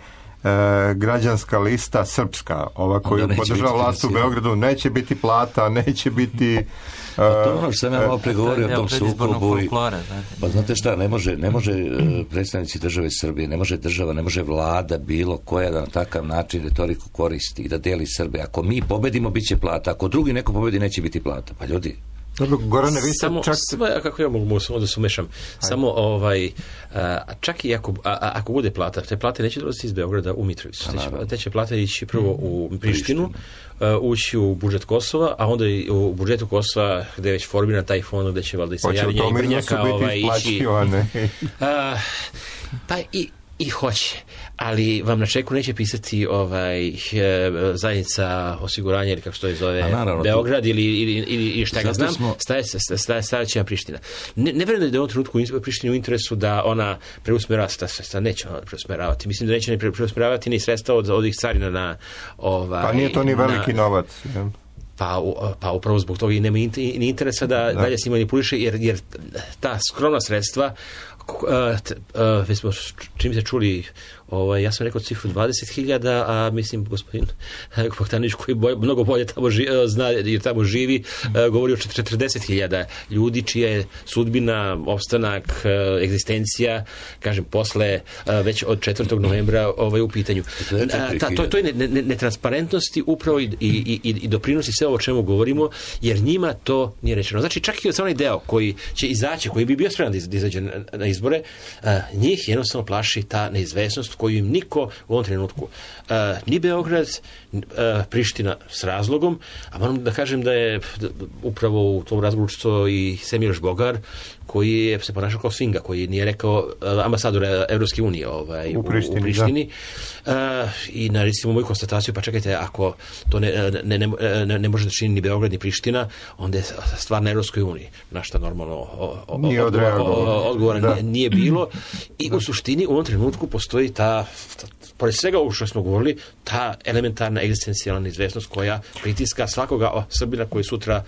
B: građanska lista srpska, ova koju podržava vlast u Beogradu, neće biti plata, neće biti...
G: to ono što sam ja malo pregovorio o tom sukobu. Pa znate šta, ne može predstavnici države Srbije, ne može država, ne može vlada bilo koja da na takav način retoriku koristi i da deli Srbe. Ako mi pobedimo, bit će plata. Ako drugi neko pobedi, neće biti plata. Pa ljudi...
B: Dobro, Gorane, vi ste čak...
H: Kako ja mogu da se umešam? Samo, čak i ako bude plata, te plate neće dolaziti iz Beograda u Mitrovicu. Te će plate ići prvo u Prištinu, ući u budžet Kosova, a onda i u budžetu Kosova, gde je već formiran taj fond, gde će valjda i Sajarnja i Brnjaka ići... Pa i hoće, ali vam na čeku neće pisati zajednica osiguranja ili kako se to zove, Beograd ili šta ga znam, staje će na Priština. Ne verujem da je u ovom trenutku Prištini u interesu da ona preusmerava sredstva, neće ona preusmeravati. Mislim da neće ne preusmeravati ni sredstva od ovih carina na...
B: Pa nije to ni veliki novac.
H: Pa upravo zbog toga i nema ni interesa da dalje se manipuliše, jer ta skromna sredstva već smo čim se čuli, ja sam rekao cifru 20.000, a mislim gospodin Bogdanović koji mnogo bolje tamo zna jer tamo živi, govori o 40.000 ljudi čija je sudbina, opstanak, egzistencija, kažem, posle već od 4. novembra u pitanju. To je netransparentnosti upravo i doprinosi sve ovo o čemu govorimo, jer njima to nije rečeno. Znači, čak i od onaj deo koji će izaći, koji bi bio spreman da izađe na izbore, njih jednostavno plaši ta neizvesnost koju im niko u ovom trenutku, ni Beograd, Priština s razlogom, a moram da kažem da je upravo u tom razgovoru učestvovao i Semiroš Bogar, koji je se ponašao kao svinga, koji nije rekao ambasador Evropske unije u Prištini. I na recimo moju konstataciju, pa čekajte, ako to ne može da čini ni Beograd ni Priština, onda je stvar na Evropskoj uniji. Na šta normalno odgovora nije bilo i u suštini u ovom trenutku postoji ta pored svega ovo što smo govorili, ta elementarna egzistencijalna neizvesnost koja pritiska svakoga Srbina koji sutra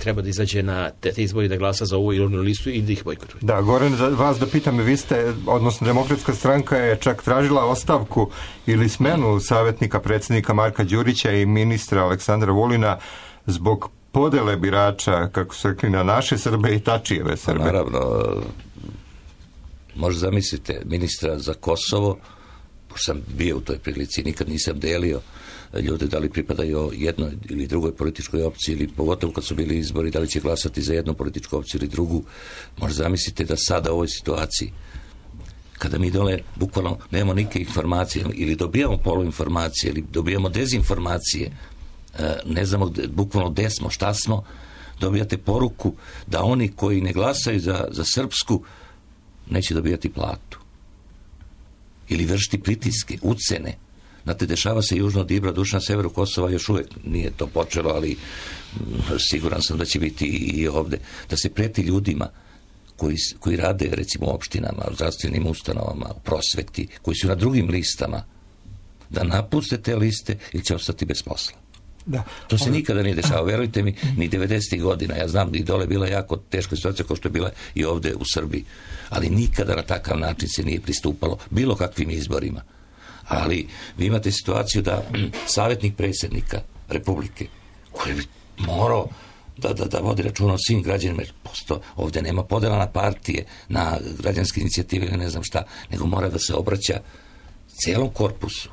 H: treba da izađe na te izbori da glasa za ovu ili onu listu i da ih bojkotuje.
B: Da, Goran, vas da pitam, vi ste, odnosno Demokratska stranka je čak tražila ostavku ili smenu savjetnika predsjednika Marka Đurića i ministra Aleksandra Vulina zbog podele birača, kako su rekli, na naše Srbe i Tačijeve Srbe.
G: Naravno, možda zamislite ministra za Kosovo, sam bio u toj prilici, nikad nisam delio ljude da li pripadaju jednoj ili drugoj političkoj opciji ili pogotovo kad su bili izbori da li će glasati za jednu političku opciju ili drugu. Možda zamislite da sada u ovoj situaciji kada mi dole bukvalno nemamo nike informacije ili dobijamo poluinformacije ili dobijamo dezinformacije, ne znamo bukvalno gde smo, šta smo, dobijate poruku da oni koji ne glasaju za srpsku neće dobijati platu ili vršiti pritiske, ucene. Znate, dešava se južno od Ibra, duš na severu Kosova, još uvijek nije to počelo, ali siguran sam da će biti i ovde. Da se preti ljudima koji rade, recimo, u opštinama, u zdravstvenim ustanovama, u prosveti, koji su na drugim listama, da napuste te liste ili će ostati bez posla.
B: Da.
G: To se nikada nije dešava, verujte mi, ni 90. godina. Ja znam da i dole bila jako teška situacija kao što je bila i ovde u Srbiji. Ali nikada na takav način se nije pristupalo bilo kakvim izborima. Ali vi imate situaciju da savjetnik predsjednika Republike, koji bi morao da vodi računa o svim građanima, jer ovdje nema podela na partije, na građanske inicijative ili ne znam šta, nego mora da se obraća cijelom korpusu.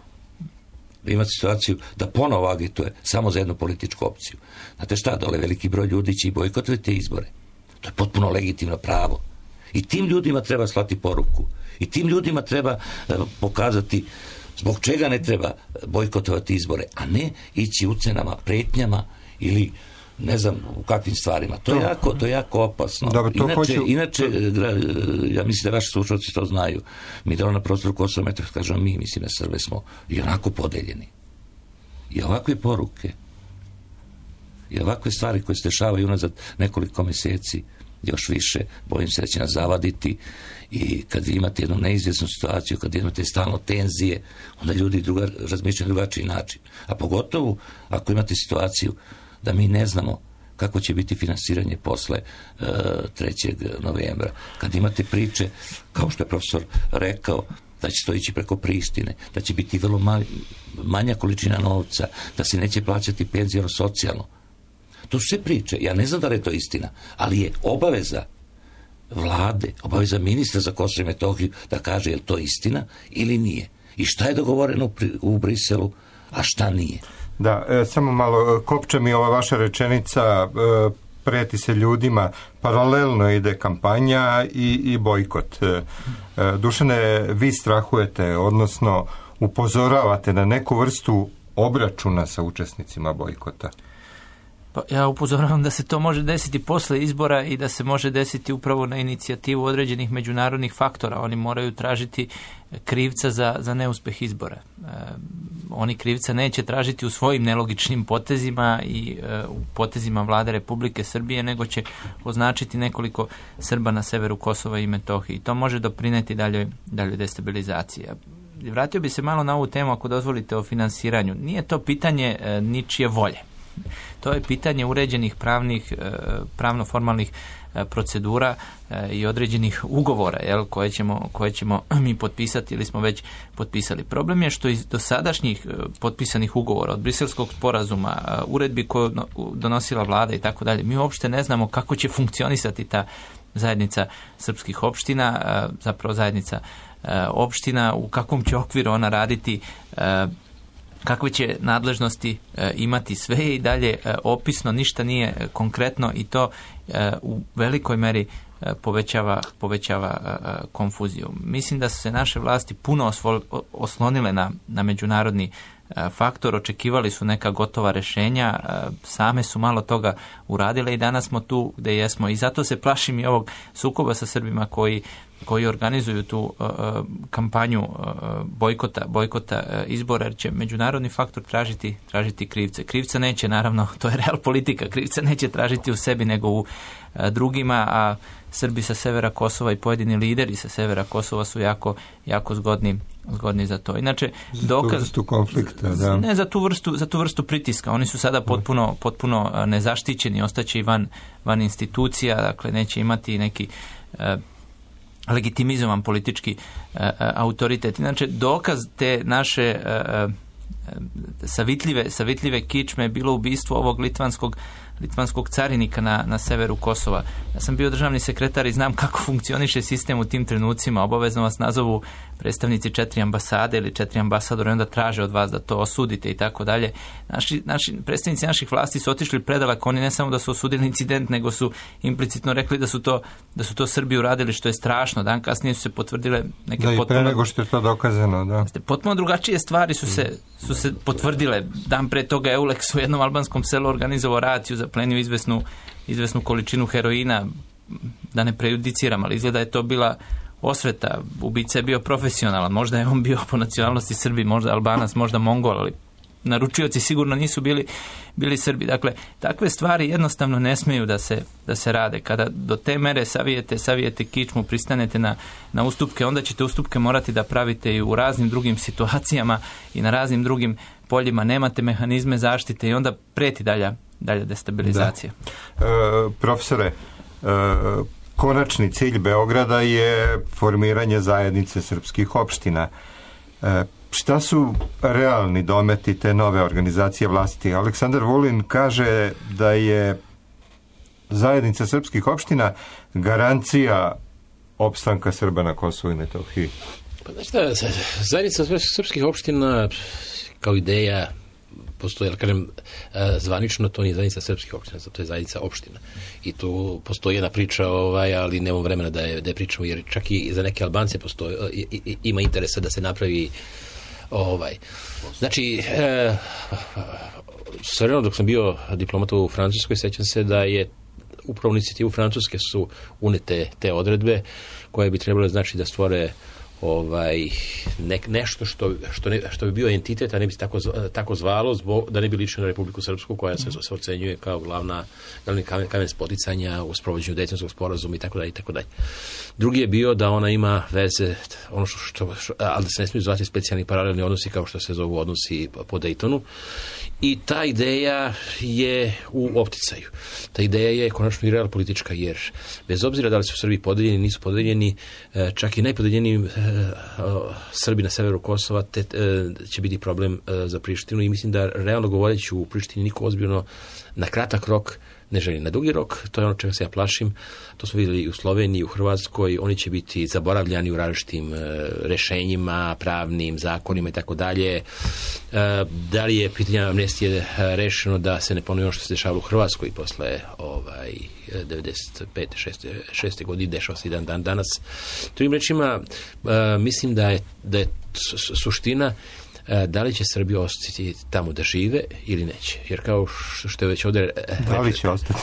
G: Vi imate situaciju da ponovo agituje samo za jednu političku opciju. Znate šta, dole veliki broj ljudi će i bojkotovati te izbore. To je potpuno legitimno pravo. I tim ljudima treba slati poruku. I tim ljudima treba pokazati zbog čega ne treba bojkotovati izbore, a ne ići ucenama, pretnjama ili ne znam u kakvim stvarima. To je jako opasno.
B: Dobro,
G: inače, ja mislim da vaši slušalci to znaju. Mi dole na prostoru Kosova i Metohije, kažemo mi, mislim na Srbe, smo i onako podeljeni. I ovakve poruke i ovakve stvari koje se dešavaju unazad nekoliko mjeseci, još više, bojim se da će nas zavaditi i kad imate jednu neizvjesnu situaciju, kad imate stalno tenzije, onda ljudi razmišljaju na drugačiji način. A pogotovo ako imate situaciju da mi ne znamo kako će biti finansiranje posle 3. novembra. Kad imate priče, kao što je profesor rekao, da će to ići preko Prištine, da će biti vrlo manja količina novca, da se neće plaćati penzijno socijalno. To su sve priče. Ja ne znam da li je to istina, ali je obaveza vlade, obaveza ministra za Kosovo i Metohiju da kaže je li to istina ili nije. I šta je dogovoreno u Briselu, a šta nije.
B: Da, samo malo, kopče mi ova vaša rečenica, preti se ljudima, paralelno ide kampanja i bojkot. Dušane, vi strahujete, odnosno upozoravate na neku vrstu obračuna sa učesnicima bojkota.
I: Pa ja upozoravam da se to može desiti posle izbora i da se može desiti upravo na inicijativu određenih međunarodnih faktora. Oni moraju tražiti krivca za neuspeh izbora. Oni krivca neće tražiti u svojim nelogičnim potezima i u potezima vlade Republike Srbije, nego će označiti nekoliko Srba na severu Kosova i Metohije. I to može doprineti daljoj destabilizaciji. Vratio bi se malo na ovu temu, ako dozvolite, o finansiranju. Nije to pitanje ničije volje. To je pitanje uređenih pravno-formalnih procedura i određenih ugovora koje ćemo mi potpisati ili smo već potpisali. Problem je što iz dosadašnjih potpisanih ugovora, od Briselskog sporazuma, uredbi koju donosila vlada i tako dalje, mi uopšte ne znamo kako će funkcionisati ta zajednica srpskih opština, zapravo zajednica opština, u kakvom će okviru ona raditi, kakve će nadležnosti imati, sve i dalje opisno, ništa nije konkretno i to u velikoj meri povećava konfuziju. Mislim da su se naše vlasti puno oslonile na međunarodni faktor, očekivali su neka gotova rješenja, same su malo toga uradile i danas smo tu gdje jesmo. I zato se plašim i ovog sukoba sa Srbima koji organizuju tu kampanju bojkota izbora, jer će međunarodni faktor tražiti krivce. Krivca neće, naravno, to je real politika, krivca neće tražiti u sebi nego u drugima, a Srbi sa severa Kosova i pojedini lideri sa severa Kosova su jako zgodni za to. Inače, dokaz...
B: Za tu konflikta, da.
I: Ne, za tu vrstu pritiska. Oni su sada potpuno nezaštićeni, ostaće i van institucija, dakle neće imati neki legitimizovan politički autoritet. Inače, dokaz te naše savitljive kičme je bilo ubistvo ovog litvanskog carinika na severu Kosova. Ja sam bio državni sekretar i znam kako funkcioniše sistem u tim trenucima. Obavezno vas nazovu predstavnici 4 ambasade ili 4 ambasadora i onda traže od vas da to osudite i tako dalje. Naši predstavnici naših vlasti su otišli predaleko. Oni ne samo da su osudili incident, nego su implicitno rekli da su to Srbi uradili, što je strašno. Dan kasnije su se potvrdile neke
B: potpuno... Da, i pre nego što je to dokazano, da.
I: Potpuno drugačije stvari su se potvrdile. Dan pre toga Eulex u jednom albanskom selu organizovao raciju, zaplenio izvesnu količinu heroina, da ne prejudiciram, ali izgleda je to bila osveta. Ubica je bio profesionalan, možda je on bio po nacionalnosti Srbi, možda Albanac, možda Mongol, ali naručioci sigurno nisu bili Srbi. Dakle, takve stvari jednostavno ne smeju da se rade. Kada do te mere savijete kičmu, pristanete na ustupke, onda ćete ustupke morati da pravite i u raznim drugim situacijama i na raznim drugim poljima. Nemate mehanizme zaštite i onda preti dalja destabilizacija.
B: Profesore, konačni cilj Beograda je formiranje zajednice srpskih opština. Šta su realni dometi te nove organizacije vlasti? Aleksandar Vulin kaže da je zajednica srpskih opština garancija opstanka Srba na Kosovu i Metohiji.
H: Pa znači zajednica srpskih opština kao ideja postoji, ali kažem, zvanično to nije zajednica srpskih opština, to je zajednica opština. I tu postoji jedna priča, ali nemamo vremena da je pričamo, jer čak i za neke Albance ima interesa da se napravi Znači, svrlo dok sam bio diplomata u Francuskoj, sećam se da je upravo inicijativu Francuske su unete te odredbe koje bi trebale znači da stvore nešto što bi bio entitet, a ne bi se tako zvalo, da ne bi ličilo na Republiku Srpsku, koja se ocenjuje kao glavni kamen spoticanja u sprovođenju Dejtonskog sporazuma i tako dalje. Drugi je bio da ona ima veze, ali da se ne smiju zvati specijalni paralelni odnosi kao što se zovu odnosi po Dejtonu. I ta ideja je u opticaju. Ta ideja je konačno i real politička, jer bez obzira da li su Srbi podeljeni, nisu podeljeni, čak i najpodeljeniji Srbi na severu Kosova će biti problem za Prištinu i mislim da realno govoreći u Prištini niko ozbiljno na kratak rok ne želi. Na dugi rok, to je ono čega se ja plašim, to smo vidjeli i u Sloveniji, i u Hrvatskoj, oni će biti zaboravljani u različitim rešenjima, pravnim zakonima i tako dalje. Da li je pitanje amnestije rešeno da se ne ponovi ono što se dešavalo u Hrvatskoj posle 95. 6. godine, dešava se i dan danas. Drugim rečima, mislim da je suština da li će Srbi ostati tamo da žive ili neće. Jer kao što je već ovdje
B: da li će ostati?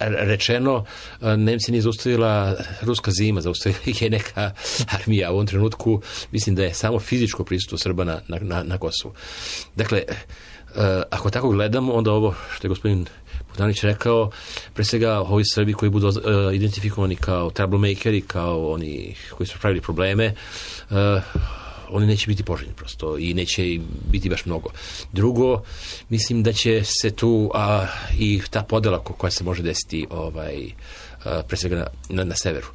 H: Rečeno, Nemci nije zaustavila ruska zima, zaustavila je neka armija. U ovom trenutku mislim da je samo fizičko prisustvo Srba na Kosovu. Dakle, ako tako gledamo, onda ovo što je gospodin Bogdanović rekao, pre svega ovi Srbi koji budu identifikovani kao troublemakeri, kao oni koji su pravili probleme, oni neće biti poželjni prosto i neće biti baš mnogo. Drugo, mislim da će se tu i ta podela koja se može desiti pre svega na severu.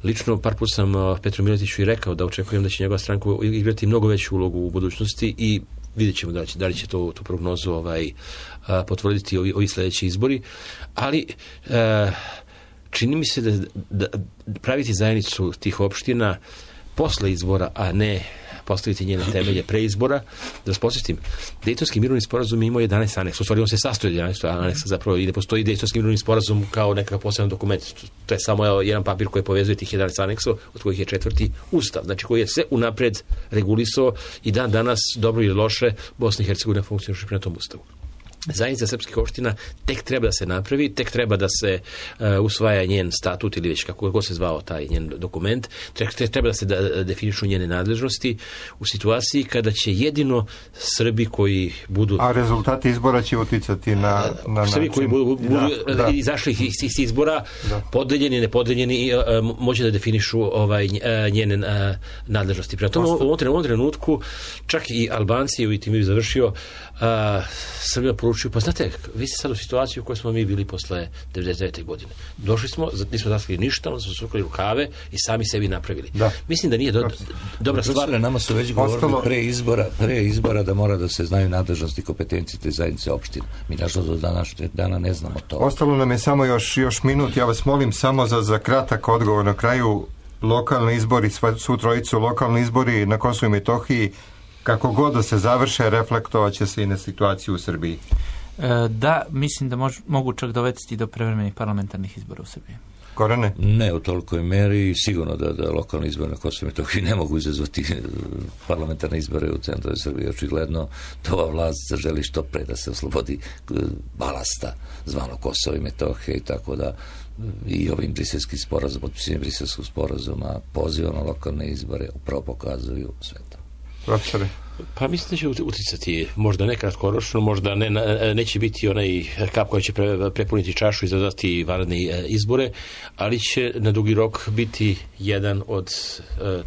H: Lično par puta sam Petru Miletiću i rekao da očekujem da će njegova stranka igrati mnogo veću ulogu u budućnosti i vidjet ćemo da li će tu prognozu potvrditi ovi sljedeći izbori. Ali čini mi se da praviti zajednicu tih opština posle izbora, a ne postaviti njene temelje pre izbora. Da vas podsjetim, Dejtonski mirovni sporazum imao 11 aneksa, u stvari on se sastoji od 11 aneksa zapravo i ne postoji Dejtonski mirovni sporazum kao nekakav poseban dokument. To je samo jedan papir koji povezuje tih 11 aneksa, od kojih je 4. ustav, znači koji je sve unapred regulisao i dan danas, dobro ili loše, Bosna i Hercegovina funkcioniše prema tom ustavu. Zajednica srpskih opština tek treba da se napravi, tek treba da se usvaja njen statut ili već kako god se zvao taj njen dokument, tek treba da se definišu njene nadležnosti u situaciji kada će jedino Srbi koji budu...
B: A rezultati izbora će uticati na
H: Srbi koji budu izašli iz izbora, podeljeni, nepodeljeni, moći da definišu njene nadležnosti. Prema tome, u ovom trenutku čak i Albanci, u tim je završio, Srbija poručuju, pa znate, vi ste sad u situaciju u kojoj smo mi bili posle 99. godine. Došli smo, nismo zaskali ništa, onda smo sukali rukave i sami sebi napravili. Mislim da nije dobra stvar.
G: Nama su već govorili pre izbora da mora da se znaju nadležnosti i kompetencije te zajednice opština. Mi nažalost do današnjeg dana ne znamo to.
B: Ostalo nam je samo još minut. Ja vas molim samo za kratak odgovor na kraju. Lokalni izbori, svu trojicu lokalni izbori na Kosovu i Metohiji, kako god da se završe, reflektovat će se i na situaciju u Srbiji.
I: Da, mislim da mogu čak dovesti do prevremenih parlamentarnih izbora u Srbiji.
B: Gorane?
G: Ne u tolikoj meri, sigurno da lokalni izbori na Kosovu i Metohiji ne mogu izazvati parlamentarne izbore u centralnoj Srbiji. Očigledno da ova vlast želi što pre da se oslobodi balasta zvano Kosovo i Metohija i tako da i ovim briselskim sporazumom, potpisivanjem briselskog sporazuma, poziva na lokalne izbore upravo pokazuju sve to.
B: Profesore?
H: Pa mislim da će uticati, možda ne kratkoročno, možda neće biti onaj kap koji će prepuniti čašu i izazvati vanredne izbore, ali će na dugi rok biti jedan od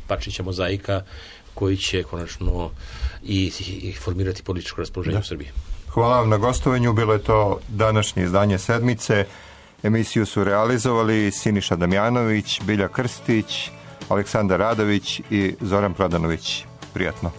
H: parčića mozaika koji će konačno i formirati političko raspoloženje u Srbiji.
B: Hvala vam na gostovanju, bilo je to današnje izdanje Sedmice. Emisiju su realizovali Siniša Damjanović, Bilja Krstić, Aleksandar Radović i Zoran Prodanović. Prijatno.